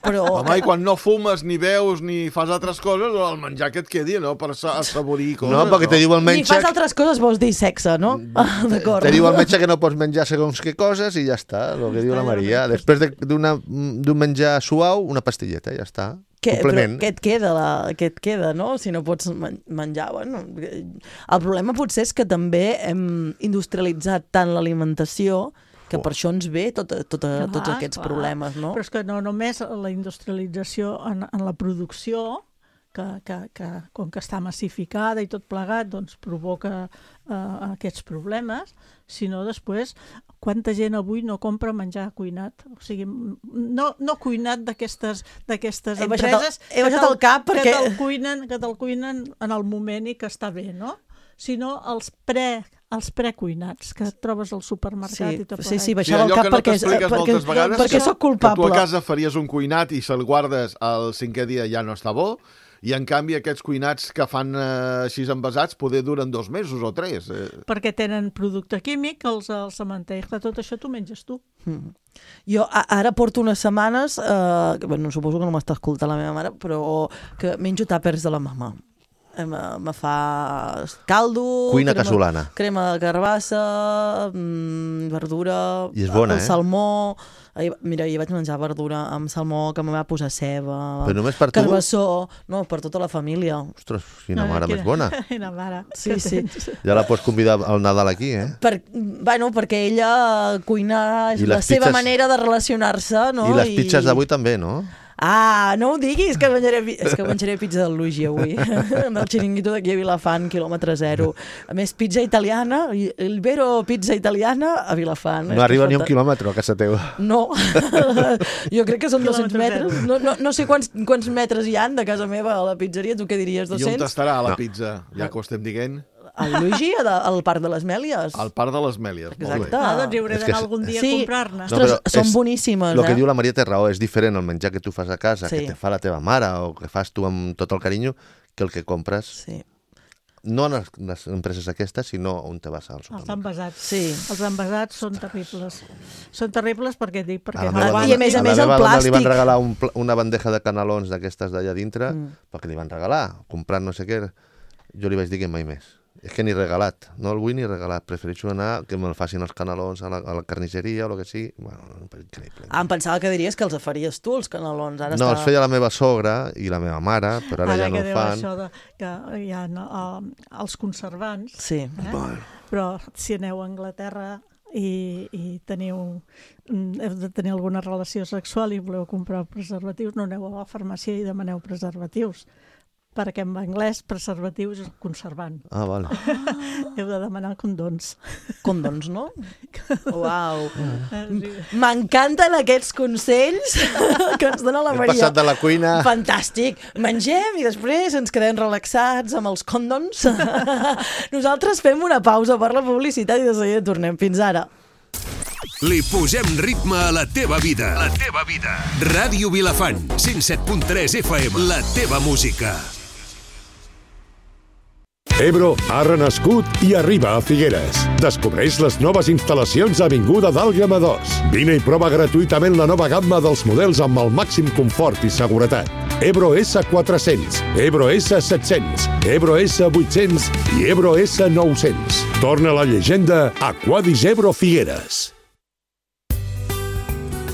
Però... Home, i quan no fumes, ni veus, ni fas altres coses, el menjar que et quedi, no? Per sa- assaborir coses. No, perquè te diu el Ni metge... fas altres coses, vols dir sexe, no? Ah, d'acord. Te diu el metge que no pots menjar segons què coses i ja està, el que diu la Maria. Després de- d'una- d'un menjar suau, una pastilleta, ja està. Què, però Complement. què et queda, la, què et queda, no? Si no pots men menjar, bueno... El problema potser és que també hem industrialitzat tant l'alimentació que per això ens ve tot, tot, Clar, tots aquests clar. problemes, no? Però és que no només la industrialització en, en la producció, que, que, que com que està massificada i tot plegat, doncs provoca eh, aquests problemes, sinó després quanta gent avui no compra menjar cuinat? O sigui, no, no cuinat d'aquestes d'aquestes he empreses el, he que, te'l, cap perquè... que te'l cuinen, que te'l cuinen en el moment i que està bé, no? Sinó els pre els precuinats que trobes al supermercat sí, i tot sí, sí, sí, baixar el cap no perquè, perquè, vegades, perquè sóc culpable. Que tu a casa faries un cuinat i se'l guardes el cinquè dia ja no està bo, i en canvi aquests cuinats que fan eh, així envasats poder duren dos mesos o tres. Eh. Perquè tenen producte químic, els, els cementeris, tot això t'ho menges tu. Mm. Jo a, ara porto unes setmanes, eh, que, bueno, suposo que no m'està escoltant la meva mare, però que menjo tàpers de la mama. Me, me fa caldo, cuina crema, casolana, crema de carbassa, mmm, verdura, i és bona, el eh? salmó. Ahir, mira, ahir vaig menjar verdura amb salmó, que me va posar ceba, però només per tu? Carbassó, no, per tota la família. Ostres, quina mare més bona. Quina mare. Sí, sí. Ja la pots convidar al Nadal aquí, eh? Per, bueno, perquè ella cuinar és la seva pizzas... manera de relacionar-se, no? I les pizzas d'avui també, no? Ah, no ho diguis, que menjaré, és que menjaré pizza del Luigi avui, amb el xiringuito d'aquí a Vilafant, quilòmetre zero. A més, pizza italiana, el vero pizza italiana a Vilafant. No arriba ni un quilòmetre a casa teva. No, jo crec que són dos-cents metres. No, no, no sé quants, quants metres hi han de casa meva a la pizzeria, tu què diries, dos-cents? I on estarà la no. pizza, ja que ho estem dient? El Luigi, al Parc de les Mèlies. Al Parc de les Mèlies, exacte. molt bé. Ah, doncs hi hauré d'anar algun dia sí. a comprar-ne. Ostres, no, són és, boníssimes, el eh? que diu la Maria té raó, és diferent el menjar que tu fas a casa, sí. que te fa la teva mare o que fas tu amb tot el carinyo, que el que compres. Sí. No en les, les empreses aquestes, sinó on te vas al Els supermercat. envasats. Sí. Els envasats són terribles. Són terribles perquè dic, perquè A la no meva van... I a més a a més la el meva dona li van plàstic. regalar un, pla- una bandeja de canelons d'aquestes d'allà dintre, Mm. perquè li van regalar, comprant no sé què. Jo li vaig dir que mai més. És que ni regalat, no el vull ni regalat. Prefereixo anar, que me'l facin els canelons a la, a la carnisseria o el que sigui. Bueno, increïble. Ah, em pensava que diries que els faries tu, els canelons. Ara No, està... els feia la meva sogra i la meva mare, però ara, Ara ja no que ho diu fan. això de, que hi ha uh, els conservants, Sí. eh? Bueno. Però si aneu a Anglaterra i, i teniu, heu de tenir alguna relació sexual i voleu comprar preservatius, no aneu a la farmàcia i demaneu preservatius. Perquè en anglès preservatius és conservant. Ah, vale. Ah. Heu de demanar condons. Condons, no? Uau. Ah, sí. M'encanten aquests consells que ens dona la He Maria. passat de la cuina... Fantàstic. Mengem i després ens quedem relaxats amb els condons. Nosaltres fem una pausa per la publicitat i de seguida tornem. Fins ara. Li posem ritme a la teva vida. La teva vida. Ràdio Vilafant, cent set punt tres F M. La teva música. Ebro ha renascut i arriba a Figueres. Descobreix les noves instal·lacions a Avinguda d'Àlguema dos. Vine i prova gratuïtament la nova gamma dels models amb el màxim confort i seguretat. Ebro S quatre-cents, Ebro S set-cents, Ebro S vuit-cents i Ebro S nou-cents. Torna la llegenda Aquadis Ebro Figueres.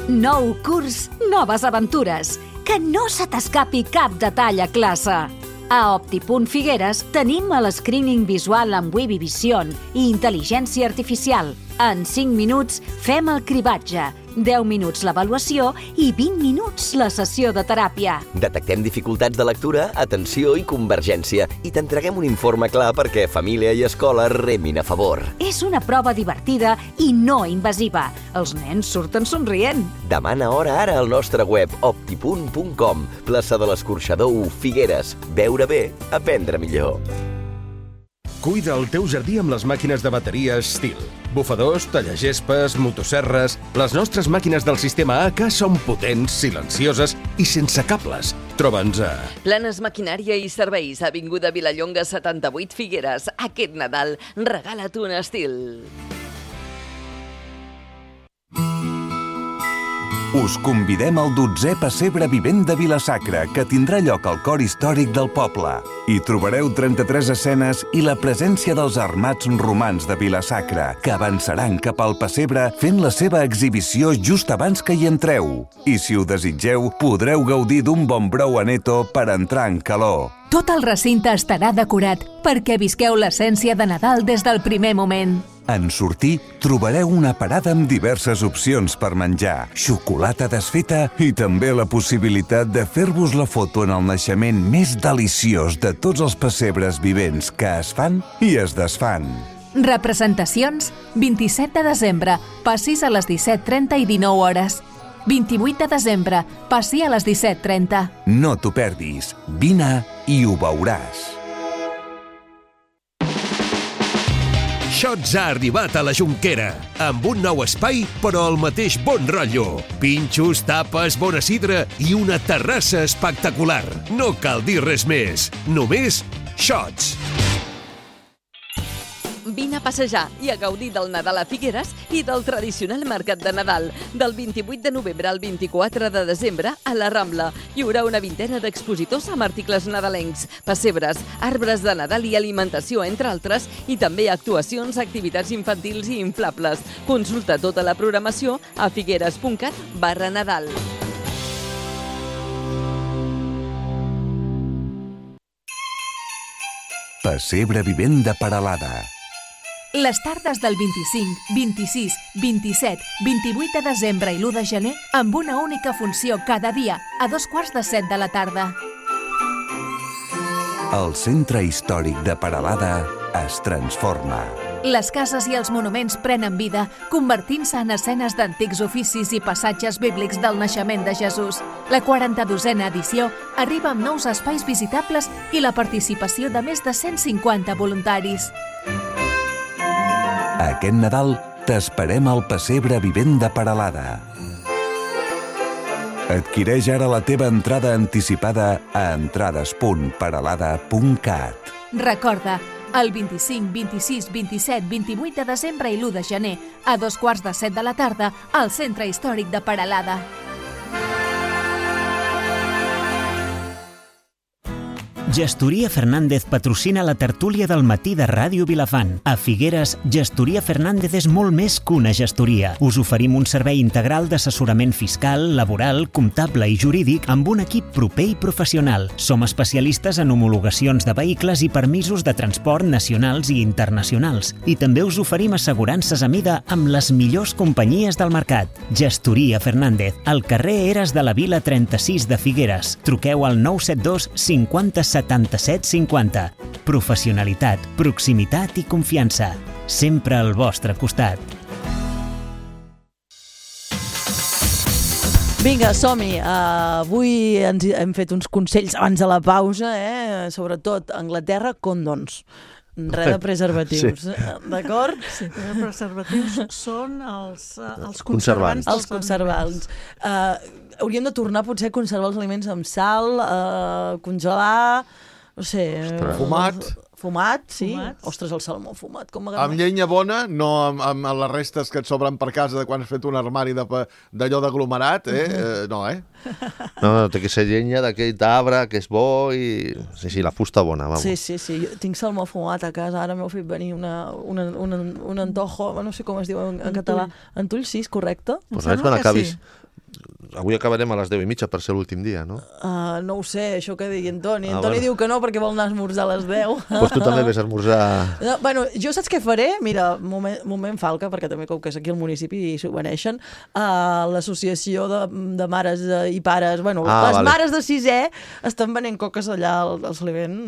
Nou curs, noves aventures. Que no se t'escapi cap detall a classe. A Optipunt Figueres tenim el screening visual amb Webby Vision i intel·ligència artificial. En cinc minuts fem el cribatge, deu minuts l'avaluació i vint minuts la sessió de teràpia. Detectem dificultats de lectura, atenció i convergència i t'entreguem un informe clar perquè família i escola remin a favor. És una prova divertida i no invasiva. Els nens surten somrient. Demana hora ara al nostre web optipunt punt com. Plaça de l'Escorxador u, Figueres. Veure bé, aprendre millor. Cuida el teu jardí amb les màquines de bateria Stihl. Bufadors, tallagespes, motosserres... Les nostres màquines del sistema A K són potents, silencioses i sense cables. Troba'ns a... Planes Maquinària i Serveis, Avinguda Vilallonga setanta-vuit Figueres. Aquest Nadal, regala't un Stihl. Us convidem al dotzè Pessebre Vivent de Vila-sacra, que tindrà lloc al cor històric del poble. Hi trobareu trenta-tres escenes i la presència dels armats romans de Vila-sacra, que avançaran cap al pessebre fent la seva exhibició just abans que hi entreu. I si ho desitgeu, podreu gaudir d'un bon brou a Neto per entrar en calor. Tot el recinte estarà decorat perquè visqueu l'essència de Nadal des del primer moment. En sortir, trobareu una parada amb diverses opcions per menjar, xocolata desfeta i també la possibilitat de fer-vos la foto en el naixement més deliciós de tots els pessebres vivents que es fan i es desfan. Representacions, vint-i-set de desembre, passis a les disset trenta i dinou hores. vint-i-vuit de desembre, passi a les disset trenta. No t'ho perdis. Vine i ho veuràs. Shots ha arribat a la Jonquera, amb un nou espai, però el mateix bon rotllo. Pinxos, tapes, bona sidra i una terrassa espectacular. No cal dir res més, només Shots. Vine a passejar i a gaudir del Nadal a Figueres i del tradicional mercat de Nadal. Del vint-i-vuit de novembre al vint-i-quatre de desembre a la Rambla hi haurà una vintena d'expositors amb articles nadalencs, pessebres, arbres de Nadal i alimentació, entre altres, i també actuacions, activitats infantils i inflables. Consulta tota la programació a figueres.cat barra Nadal. Pessebre vivent de Peralada. Les tardes del vint-i-cinc, vint-i-sis, vint-i-set, vint-i-vuit de desembre i l'u de gener amb una única funció cada dia, a dos quarts de set de la tarda. El centre històric de Peralada es transforma. Les cases i els monuments prenen vida, convertint-se en escenes d'antics oficis i passatges bíblics del naixement de Jesús. La quaranta-dosena edició arriba amb nous espais visitables i la participació de més de cent cinquanta voluntaris. Aquest Nadal t'esperem al Pessebre vivent de Peralada. Adquireix ara la teva entrada anticipada a entrades punt peralada punt cat. Recorda, el vint-i-cinc, vint-i-sis, vint-i-set, vint-i-vuit de desembre i l'u de gener, a dos quarts de set de la tarda, al Centre Històric de Peralada. Gestoria Fernández patrocina la tertúlia del matí de Ràdio Vilafant. A Figueres, Gestoria Fernández és molt més que una gestoria. Us oferim un servei integral d'assessorament fiscal, laboral, comptable i jurídic amb un equip proper i professional. Som especialistes en homologacions de vehicles i permisos de transport nacionals i internacionals. I també us oferim assegurances a mida amb les millors companyies del mercat. Gestoria Fernández, al carrer Eres de la Vila trenta-sis de Figueres. Truqueu al nou set dos cinquanta setanta-set cinquanta. Professionalitat, proximitat i confiança. Sempre al vostre costat. Vinga, som-hi. Uh, avui ens hem fet uns consells abans de la pausa, eh? Sobretot Anglaterra, condons. Res de preservatius, sí. D'acord? Sí, els preservatius són els, els conservants. Els conservants. Uh, hauríem de tornar potser a conservar els aliments amb sal, uh, congelar, no sé... Ostres. Fumat. Fumat, sí. Fumats. Ostres, el salmó fumat. Com amb llenya bona, no amb, amb les restes que et sobren per casa de quan has fet un armari d'allò d'aglomerat, eh? Uh, no, eh? No, no, té que ser llenya d'aquell arbre que és bo i... Sí, sí, la fusta bona, vamos. Sí, sí, sí. Jo tinc salmó fumat a casa, ara m'heu fet venir una, una, una, un antojo, no sé com es diu en, en català. Antull, sí, és correcte? Pues res, quan acabis... Sí. Avui acabarem a les deu i mitja per ser l'últim dia, no? Uh, no ho sé, això que digui Antoni. Ah, Antoni bueno. diu que no perquè vol anar a esmorzar a les deu. Doncs pues tu també ves a esmorzar... No, bueno, jo saps què faré? Mira, moment, moment falca, perquè també com que és aquí al municipi i s'ho beneixen, uh, l'associació de, de mares i pares, bueno, ah, les vale. mares de sisè estan venent coques allà al, al Salivent.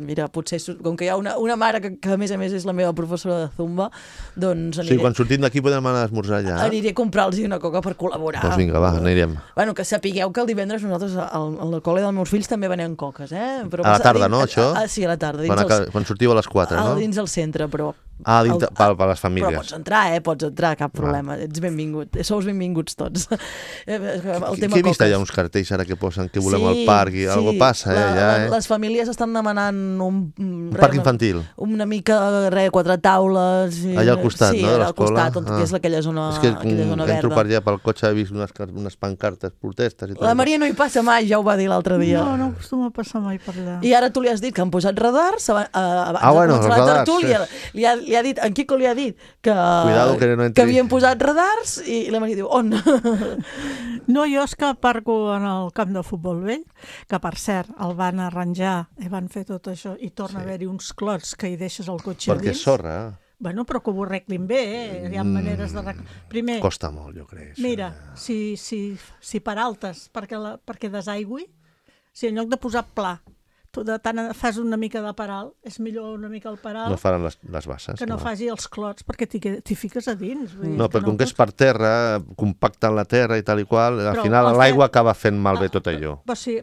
Mira, potser, com que hi ha una, una mare que, que a més a més és la meva professora de Zumba, doncs aniré... Sí, quan sortim d'aquí podem anar a esmorzar allà. Aniré a comprar-los una coca per col·laborar. Doncs vinga, va, anirem. Bueno, que sapigueu que el divendres nosaltres al, al col·le dels meus fills també venem coques, eh? Però a la tarda, dins, no, això? A, a, sí, a la tarda. Dins quan, els, quan sortiu a les quatre, no? Dins del centre, però... Ah, dins, el, per, per les famílies. Però pots entrar, eh? Pots entrar, cap problema. Ah. Ets benvingut. Sous benvinguts tots. El tema que he vist coques. allà uns cartells ara que posen que volem sí, al parc i sí, algo passa, eh? La, allà, eh? Les famílies estan demanant un... Un re, parc infantil. Una mica, re, quatre taules... I, allà al costat, sí, no, de l'escola? Sí, al costat, ah. que és aquella zona, és que, aquella zona verda. Entro per allà pel cotxe, he vist unes, unes pancartes, protestes i tot. La Maria no hi passa mai, ja ho va dir l'altre dia. No, no acostuma a passar mai per allà. I ara tu li has dit que han posat radars, abans ah, bueno, de començar la tertúlia. Sí. Li, ha, li ha dit, en Quico li ha dit que, Cuidado, que, no que havien posat radars i la Maria diu, on? No, jo és que parco en el camp de futbol vell, que per cert el van arranjar i van fer tot això i torna sí. a haver-hi uns clots que hi deixes el cotxe perquè dins. És sorra. Bueno, però que ho arreglin bé, eh? Hi ha mm, maneres de... Primer, costa molt, jo crec. Mira, si, si, si per altes, perquè, la, perquè desaigüi, si en lloc de posar pla, tu de tant fas una mica de paral, és millor una mica el paral No faran les, les basses. que no clar. faci els clots, perquè t'hi fiques a dins. Vull dir, No, però com que és per terra, compacten la terra i tal i qual, al Però final el l'aigua fet- acaba fent malbé tot allò. Però si,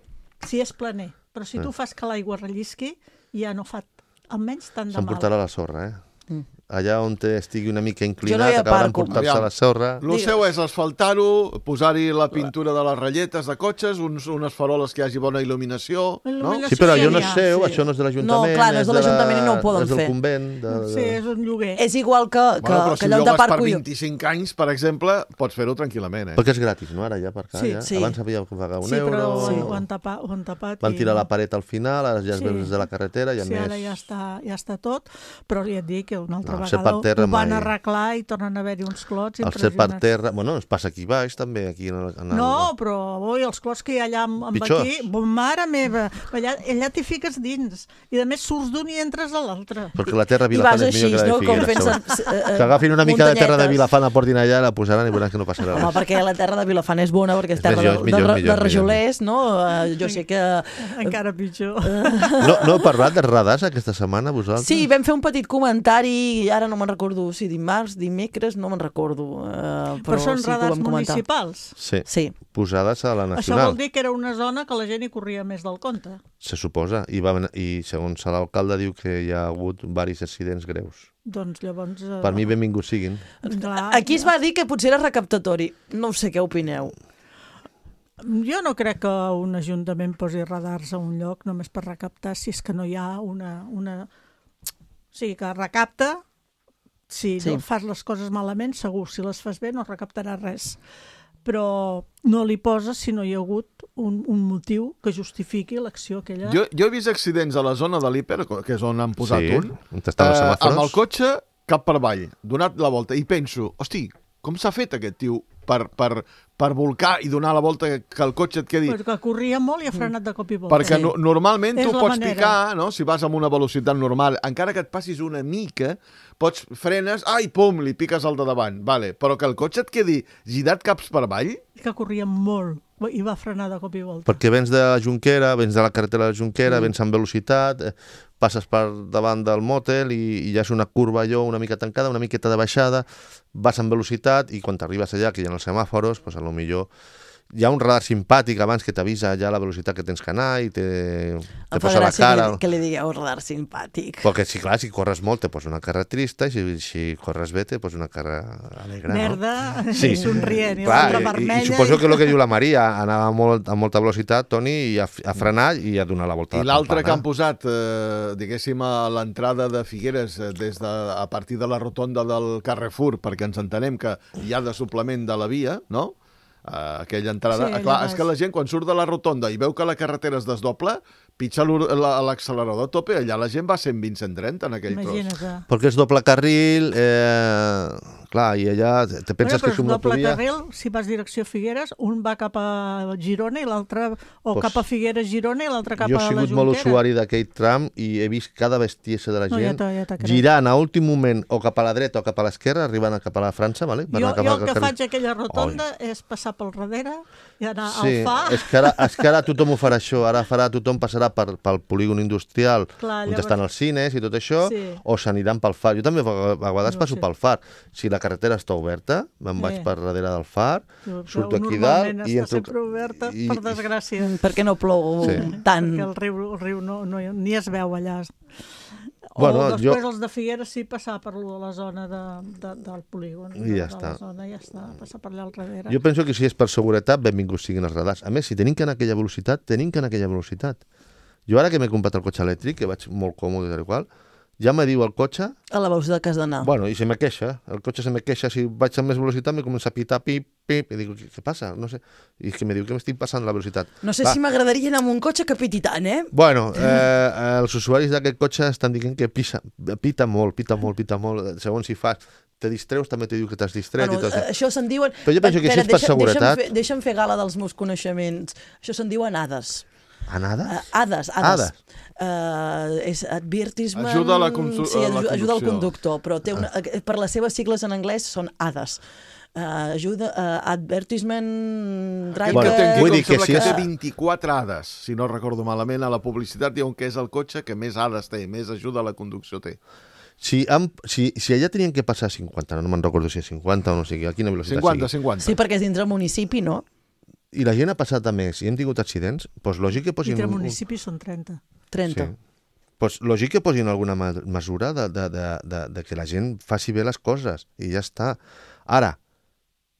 si és planer, però si Eh. tu fas que l'aigua rellisqui, ja no fa almenys tant de mal. S'emportarà la sorra, eh? Mm. Allà on te estigui una mica Jo no inclinat, hi acabarà aparco. emportant-se Aviam. la sorra. El seu és asfaltar-ho, posar-hi la pintura de les ratlletes de cotxes, uns, unes faroles que hi hagi bona il·luminació, no? Sí, però allò no és seu, això no és de l'Ajuntament, No, clar, no és de la- l'Ajuntament i no ho poden és del fer. convent. De, Sí, és un lloguer. És igual que, que, Bueno, però que si allò de llogues per parco... vint-i-cinc anys, per exemple, pots fer-ho tranquil·lament, eh? Perquè és gratis, no? Ara ja per cá, Sí, ja. sí. Abans havia de pagar un Sí, però euro. ho, no? ho, han tapat, ho han tapat. Van i tirar no. la paret al final, ara ja es Sí. veu des de la carretera, ja Sí, més... ara ja està, ja està tot, però ja et dic que una altra No, el ser vegada per terra ho van mai. arreglar i tornen a haver-hi uns clots El ser per impressionants. terra... Bueno, es passa aquí baix, també, aquí en el... En el... No, però oi, els clots que hi ha allà amb, amb Pitjors. aquí, bo, mare meva, allà, allà t'hi fiques dins, i a més surts d'un i entres a l'altre. Perquè la terra a I Vilafant vas és millor així, que la de no? Com Figueres. fent-se, segons. eh, eh, Que agafin una mica de terra de muntanyetes. Vilafant, la portin allà, la posaran i veuran que no passarà Home, res. perquè la terra de Vilafant és bona, perquè és És terra millor, de, és millor, de, millor, de rajolers, no? Eh, jo sé que... Encara pitjor. No, no heu parlat de radars aquesta setmana, vosaltres? Sí, vam fer un petit comentari, ara no me'n recordo si dimarts, dimecres, no me'n recordo. Eh, però Però són sí que ho radars vam comentar. municipals. Sí. Sí. Posades a la Això Nacional, vol dir que era una zona que la gent hi corria més del compte. se suposa. I, va, I segons l'alcalde diu que hi ha hagut diversos accidents greus. Doncs llavors... Eh, Per mi, benvinguts siguin. clar, Aquí es va dir que potser era recaptatori. No ho sé, què opineu? Jo no crec que un ajuntament posi radars a un lloc només per recaptar si és que no hi ha una... una... O sigui, que recapta, si Sí. no fas les coses malament, segur. Si les fas bé no recaptarà res. Però no li poses si no hi ha hagut un, un motiu que justifiqui l'acció aquella. Jo, jo he vist accidents a la zona de l'Hiper, que és on han posat Sí, un, on estan els eh, semàfors. amb el cotxe cap per avall, donat la volta, i penso, hosti, com s'ha fet aquest tio per, per, per volcar i donar la volta que el cotxe et quedi... Perquè corria molt i ha frenat de cop i volta. Perquè no, normalment És tu la pots manera. picar, no? Si vas amb una velocitat normal, encara que et passis una mica, pots frenes, ai, pum, li piques al de davant, vale. Però que el cotxe et quedi girat caps per avall, Que corria molt i va frenar de cop i volta. Perquè vens de la Junquera, vens de la carretera de la Junquera, mm. vens amb velocitat, eh, passes per davant del motel i, i ja és una curva allò una mica tancada, una miqueta de baixada, vas amb velocitat i quan t'arribes allà, que hi ha els semàforos, pues a lo millor hi ha un radar simpàtic abans que t'avisa ja la velocitat que tens que anar i te, te Em fa posa la gràcia cara. que li, que li digueu radar simpàtic. Perquè sí, clar, si corres molt te posa una cara trista i si, si corres bé te posa una cara alegre, Merda, no? i somrient, i clar, l'altra i, vermella. i suposo que el que diu la Maria, anava molt, a molta velocitat, Toni, i ha, ha frenat i ha donat la volta i de l'altre que campana. han posat, eh, diguéssim, a l'entrada de Figueres, eh, des de, a partir de la rotonda del Carrefour, perquè ens entenem que hi ha de suplement de la via, no?, Uh, aquella entrada. Sí, Sí, clar, allà és que baix. la gent, quan surt de la rotonda i veu que la carretera es desdobla, pitja l'ur- la- l'accelerador a tope, allà la gent va cent vint a cent trenta en aquell Imagina't. tros. Perquè és doble carril, eh, clar, i allà te penses Bueno, que és una però doble autovia... carril, si vas direcció Figueres, un va cap a Girona i l'altre, o Pues, cap a Figueres, Girona i l'altre cap Jo a he la sigut Jonquera. molt usuari d'aquell tram i he vist cada bestiesa de la No, ja gent t'ho- ja t'ho crec. girant a últim moment o cap a la dreta o cap a l'esquerra, arribant a cap a la França, vale? Per Jo, anar cap jo al el que carril. faig a aquella rotonda és passar pel darrere i anar Sí, al fa. és que, ara, és que ara tothom ho farà això, ara farà, tothom passarà per, pel polígon industrial Clar, on llavors- estan els cines i tot això, Sí. o s'aniran pel far. Jo també a a vegades No, passo sí. pel far. Si la carretera està oberta, me'n vaig Sí. per darrere del far, Jo, surto però aquí normalment dalt i està entro... sempre oberta, i- per desgràcia. Perquè no plou Sí. tant. Perquè el riu, el riu no, no, ni es veu allà. O Bueno, després jo- els de Figueres sí passar per lo de la zona de, de, del polígon. I de, ja de està. La zona, ja està, passar per allà al darrere. Jo penso que si és per seguretat, benvinguts siguin els radars. A més, si tenim que anar a aquella velocitat, tenim que anar a aquella velocitat. Jo ara que m'he comprat el cotxe elèctric, que vaig molt còmode i tal i qual, ja me diu el cotxe... A la velocitat que has d'anar. Bueno, i se me queixa. El cotxe se me queixa. Si vaig amb més velocitat, me comença a pitar, pip, pip, i dic, què, què passa? No sé. I és que me diu que m'estic passant la velocitat. No sé Va. si m'agradaria anar amb un cotxe que piti tant, eh? Bueno, eh, els usuaris d'aquest cotxe estan dient que pisa, pita molt, pita molt, pita molt. Segons si fas, te distreus, també te diu que t'has distret Bueno, i tot això. això se'n diuen... Però jo penso que si és per deixa, seguretat... Deixa'm fer, deixa'm fer gala dels meus coneixements. Això se'n diuen hades. Anades? Uh, hades, hades. Hades. Uh, és advertisement... Ajuda a la consu- sí, a la ajuda, ajuda al conducció. conductor, però té una, per les seves sigles en anglès són hades. Uh, ajuda, uh, advertisement driver... Bueno, vull dir que sembla si que és- té vint-i-quatre hades, si no recordo malament, a la publicitat diuen que és el cotxe que més hades té, més ajuda a la conducció té. Si, han, si, si allà tenien que passar cinquanta, no me'n recordo si és cinquanta o no sé, a quina velocitat cinquanta, sigui. cinquanta. Sí, perquè és dintre el municipi, no? I la gent ha passat a més i hem tingut accidents, doncs lògic que I posin... entre un- municipis són trenta. trenta. Sí. Pues lògic que posin alguna ma- mesura de, de, de, de, de que la gent faci bé les coses i ja està. Ara,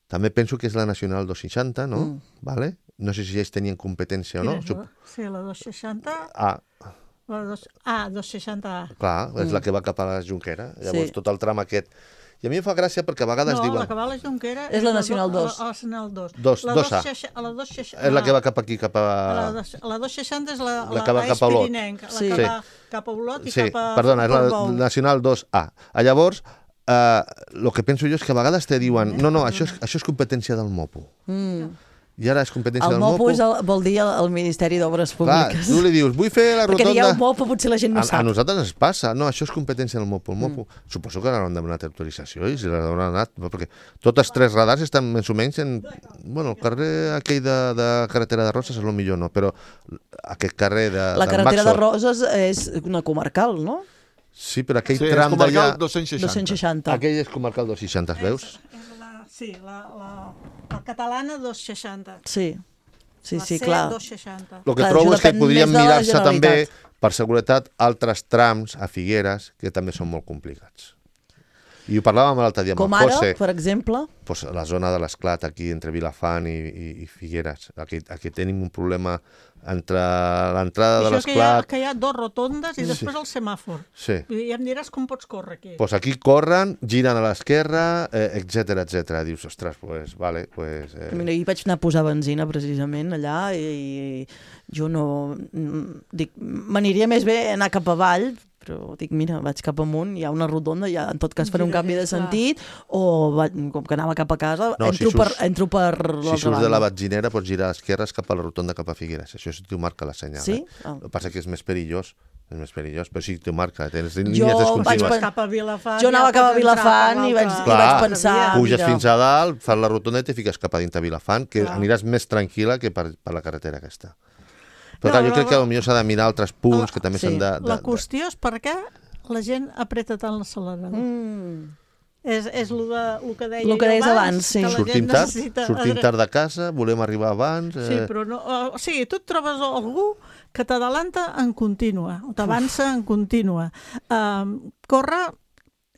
també penso que és la Nacional dos seixanta, no? Mm. Vale? No sé si ells tenien competència o no. Quina és la? Sí, la dos seixanta... Ah, La dos... Ah, dos seixanta A. clar, és Mm. la que va cap a la Junquera. Llavors, Sí. tot el tram aquest... I a mi em fa gràcia perquè a vegades No, diuen... la que va a la Jonquera... És la Nacional do- dos. A la Nacional dos. Dos, La dos A. seixa- a la dos seixanta... És la que va cap aquí, cap a... A la, dos, a la dos seixanta és la, La que va la cap a Olot. Espirinenca, la Sí. que Sí. va cap a Olot i Sí, cap a perdona, és la Portbou. Nacional dos A. Ah, llavors, eh, el que penso jo és que a vegades te diuen no, no, això és, això és competència del MOPU. Mm. I ara és competència El del MOPU MOPU. és el, vol dir el, el Ministeri d'Obres Clar, Públiques. tu li dius, vull fer la Perquè rotonda... dieu MOPU, potser la gent no a, sap. a nosaltres ens passa. No, això és competència del MOPU. El MOPU. Mm. Suposo que l'han demanat autorització i si l'han demanat... Perquè totes tres radars estan més o menys en... Bueno, el carrer aquell de, de carretera de Roses és el millor, no? Però aquest carrer de, La del carretera de Maxor... Roses és una comarcal, no? Sí, però aquell Sí, és tram comarcal d'allà... dos-cents seixanta. dos-cents seixanta. Aquell és comarcal dos seixanta, veus? És la, sí, la, la, la catalana dos seixanta. Sí, sí, La sí, C clar. dos seixanta. El que Clar, trobo això és que depèn podrien més de la mirar-se també, Generalitat. per seguretat, altres trams a Figueres que també són molt complicats. I ho parlàvem l'altre dia amb Com el ara, José. per exemple? Pues la zona de l'Esclat, aquí entre Vilafant i, i, i Figueres. Aquí, aquí tenim un problema entre l'entrada de Això que hi, ha, l'Esclat... que hi ha dos rotondes i Sí. després el semàfor. Sí. I ja em diràs com pots córrer aquí. Pues aquí corren, giren a l'esquerra, eh, etcètera, etcètera. Dius, ostres, pues, vale, pues... Eh... Mira, jo vaig anar a posar benzina precisament allà i, i jo no... mm, Dic, m'aniria més bé anar cap avall, però dic, mira, vaig cap amunt, hi ha una rotonda, ja en tot cas faré un Gira, canvi de clar. sentit, o va, com que anava cap a casa, No, entro, si per, surts- entro per Si l'altra surts de la banda. batzinera pots girar a l'esquerra cap a la rotonda cap a Figueres. Això sí t'ho marca la senyal. Sí? Eh? Ah. El que passa que és més perillós. És més perillós, però sí t'ho marca. Tens línies Jo vaig descontinues. pen- Cap a Vilafant. Jo anava ja cap a pots entrar Vilafant per i vaig, l'altre- i vaig Clar, pensar... puges mira, fins a dalt, fas la rotonda i te fiques cap a dintre Vilafant, que Clar. aniràs més tranquil·la que per, per la carretera aquesta. Però No, clar, jo no, crec que no. potser s'ha de mirar altres punts que també sí. s'han de... de, La de... qüestió és per què la gent apreta tant l'accelerador. Mm. És, és el, de, el que deia Lo que jo deies abans, abans, sí. que la Sortim gent tard, necessita... sortim adre- tard de casa, volem arribar abans... Eh... Sí, però no... O sigui, tu et trobes algú que t'adalanta en contínua, o t'avança en contínua. Um, corre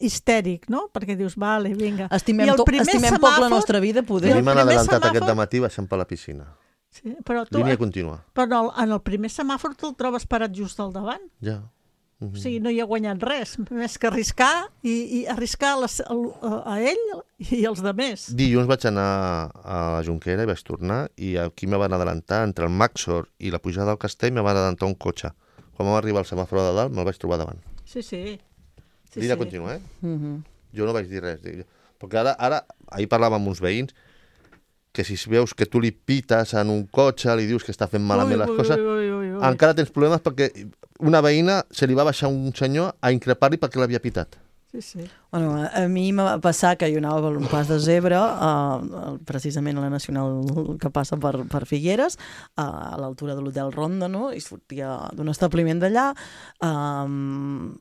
histèric, no? Perquè dius, vale, vinga. Estimem, I el to, primer estimem poc la semàfor- nostra vida, A poder. mi m'han primer adelantat semàfor- aquest dematí baixant per la piscina. Sí, però tu, Línia contínua. però en el primer semàfor te'l trobes parat just al davant. Ja. Mhm. O sigui, no hi ha guanyat res, més que arriscar i, i arriscar a, les, a, a ell i als demés. Dilluns vaig anar a la Junquera i vaig tornar i aquí me van adelantar entre el Maxor i la pujada del Castell me van adelantar un cotxe. Quan vam arribar al semàfor de dalt me'l vaig trobar davant. Sí, sí. sí, Línia sí. contínua, eh? Mhm. Jo no vaig dir res. Dic, perquè ara, ara, ahir parlàvem amb uns veïns que si veus que tu li pites en un cotxe, li dius que està fent malament Ui, les ui, coses, ui, ui, ui, ui. encara tens problemes perquè una veïna se li va baixar un senyor a increpar-li perquè l'havia pitat. Sí, sí. Bueno, a, a mi em va passar que jo anava per un pas de zebra, uh, precisament a la Nacional que passa per, per Figueres, uh, a l'altura de l'Hotel Ronda, no? I sortia d'un establiment d'allà, um,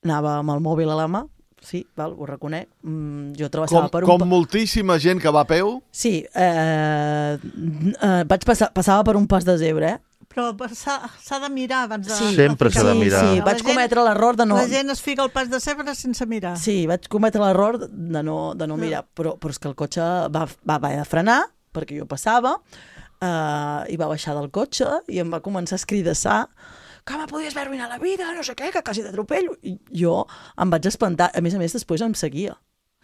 anava amb el mòbil a la mà, sí, val, ho reconec, mm, jo travessava Com, per un... com pa- moltíssima gent que va a peu, Sí, eh, eh, vaig passar, passava per un pas de zebra, eh? Però s'ha s'ha de mirar abans de... Sí, Sempre s'ha de sí, mirar. Sí, La vaig gent- cometre l'error de no... La gent es fica al pas de zebra sense mirar. Sí, vaig cometre l'error de no, de no mirar, però, però és que el cotxe va, va haver de frenar, perquè jo passava, eh, i va baixar del cotxe i em va començar a escridassar que me podies haver arruïnat la vida, no sé què, que quasi t'atropello. I jo em vaig espantar. A més a més, després em seguia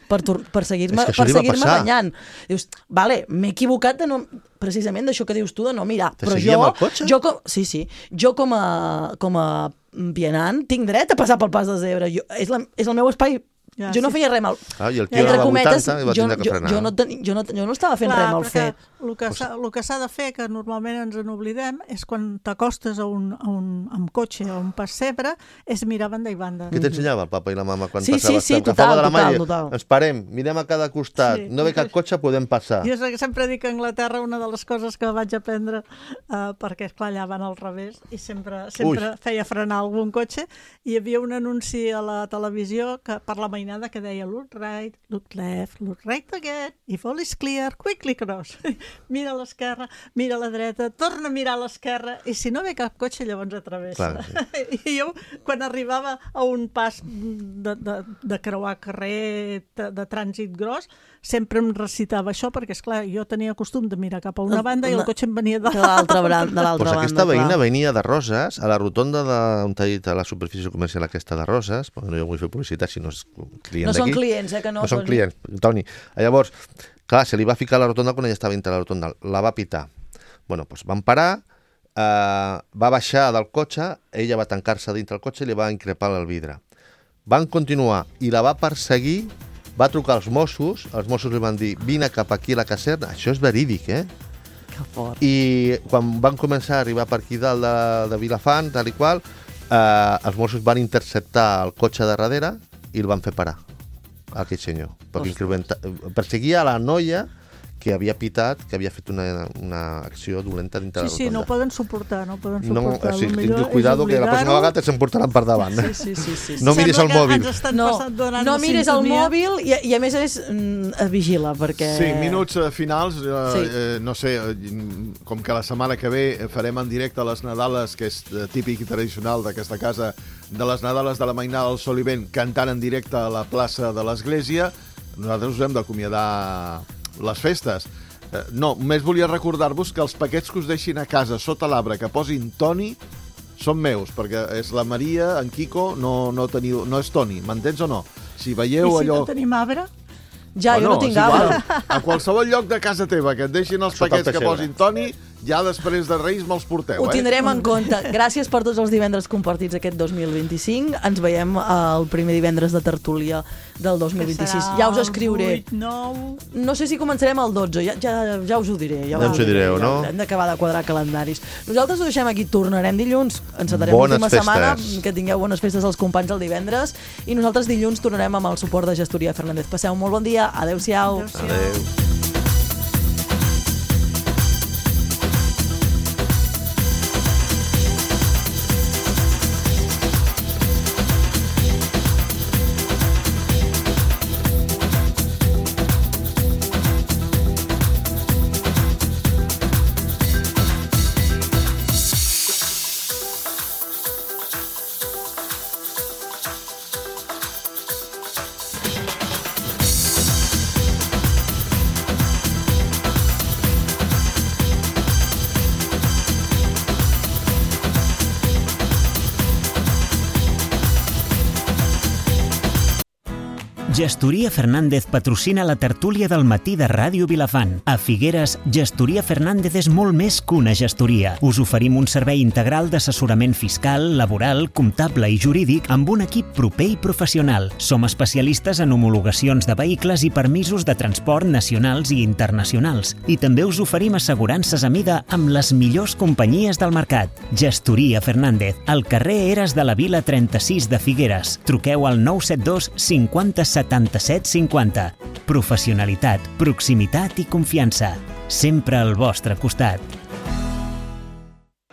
per, tor- per seguir-me És que això per li va seguir-me passar. banyant. Dius, vale, m'he equivocat de no, precisament d'això que dius tu, de no mirar. Te Però seguia jo, amb el cotxe? jo com, sí, sí, jo com a, com a vianant tinc dret a passar pel pas de zebra. Jo, és, la, és el meu espai. Ja, jo no sí. feia res mal. Ah, I el tio Entre anava a cometes, vuitanta i va jo, tindre que jo, frenar. jo, no teni, jo, no, jo no estava fent Clar, res mal perquè fet. el que s'ha el que s'ha de fer, que normalment ens n'oblidem, és quan t'acostes a un, a un, amb cotxe a un pessebre, és mirar banda i banda. Què t'ensenyava el papa i la mama quan sí, passaves? Sí, sí, total, total, total. Ens parem, mirem a cada costat, sí. No ve cap cotxe, podem passar. Jo sempre dic que a Anglaterra una de les coses que vaig aprendre, uh, perquè esclar, allà van al revés, i sempre, sempre feia frenar algun cotxe, i hi havia un anunci a la televisió que, per la mainada que deia look right, look left, look right again, if all is clear, quickly cross. Mira a l'esquerra, mira a la dreta, torna a mirar a l'esquerra, i si no ve cap cotxe, llavors atravessa. Clar, sí. I jo, quan arribava a un pas de, de, de creuar carrer de, de trànsit gros, sempre em recitava això, perquè, esclar, jo tenia costum de mirar cap a una banda i el cotxe em venia de l'altra banda. Pues aquesta veïna venia de Roses, a la rotonda on t'ha dit a la superfície comercial aquesta de Roses, perquè no jo vull fer publicitat si no és client d'aquí. No són clients, eh, que no. No són clients, Toni. Llavors, clar, se li va ficar a la rotonda quan ella estava dintre la rotonda, la va pitar. Bueno, doncs van parar, eh, va baixar del cotxe, ella va tancar-se dintre el cotxe i li va increpar el vidre. Van continuar i la va perseguir, va trucar als Mossos, els Mossos li van dir vine cap aquí a la caserna, això és verídic, eh? Que fort. I quan van començar a arribar per aquí dalt de, de Vilafant, tal i qual, eh, els Mossos van interceptar el cotxe de darrere i el van fer parar, aquell senyor. Perseguia a la noia que havia pitat, que havia fet una, una acció dolenta dintre sí, la rotonda. Sí, sí, no poden suportar, no poden suportar. No, sí, cuidado, que la pròxima vegada s'emportaran per davant. Sí, sí, sí, sí. No miris el mòbil. No, no miris el mòbil i, i a més a més mm, vigila, perquè... Sí, minuts finals, eh, sí. eh, no sé, com que la setmana que ve farem en directe les Nadales, que és típic i tradicional d'aquesta casa, de les Nadales de la Mainada del Sol i Vent, cantant en directe a la plaça de l'Església, nosaltres us hem d'acomiadar les festes. Eh, no, només volia recordar-vos que els paquets que us deixin a casa sota l'arbre que posin Toni són meus, perquè és la Maria, en Quico, no, no, teniu, no és Toni, m'entens o no? Si veieu I si allò... no tenim arbre? Ja, bueno, jo no tinc arbre. A qualsevol lloc de casa teva que et deixin els sota paquets que posin Toni, ja després de Reis me'ls porteu. Ho eh? tindrem en compte. Gràcies per tots els divendres compartits aquest dos mil vint-i-cinc. Ens veiem el primer divendres de tertúlia del dos mil vint-i-sis. Ja us escriuré. vuit, nou... No sé si començarem el dotze, ja, ja, ja us ho diré. Ja, ja us ho direu, no? Hem d'acabar de quadrar calendaris. Nosaltres ho deixem aquí, tornarem dilluns. Encetarem l'última setmana. Que tingueu bones festes als companys el divendres. I nosaltres dilluns tornarem amb el suport de Gestoria Fernández. Passeu un molt bon dia. Adéu-siau. Adéu. Gestoria Fernández patrocina la tertúlia del matí de Ràdio Vilafant. A Figueres, Gestoria Fernández és molt més que una gestoria. Us oferim un servei integral d'assessorament fiscal, laboral, comptable i jurídic amb un equip proper i professional. Som especialistes en homologacions de vehicles i permisos de transport nacionals i internacionals. I també us oferim assegurances a mida amb les millors companyies del mercat. Gestoria Fernández, al carrer Eres de la Vila trenta-sis de Figueres. Truqueu al nou set dos cinquanta setanta-set cinquanta. Professionalitat, proximitat i confiança. Sempre al vostre costat.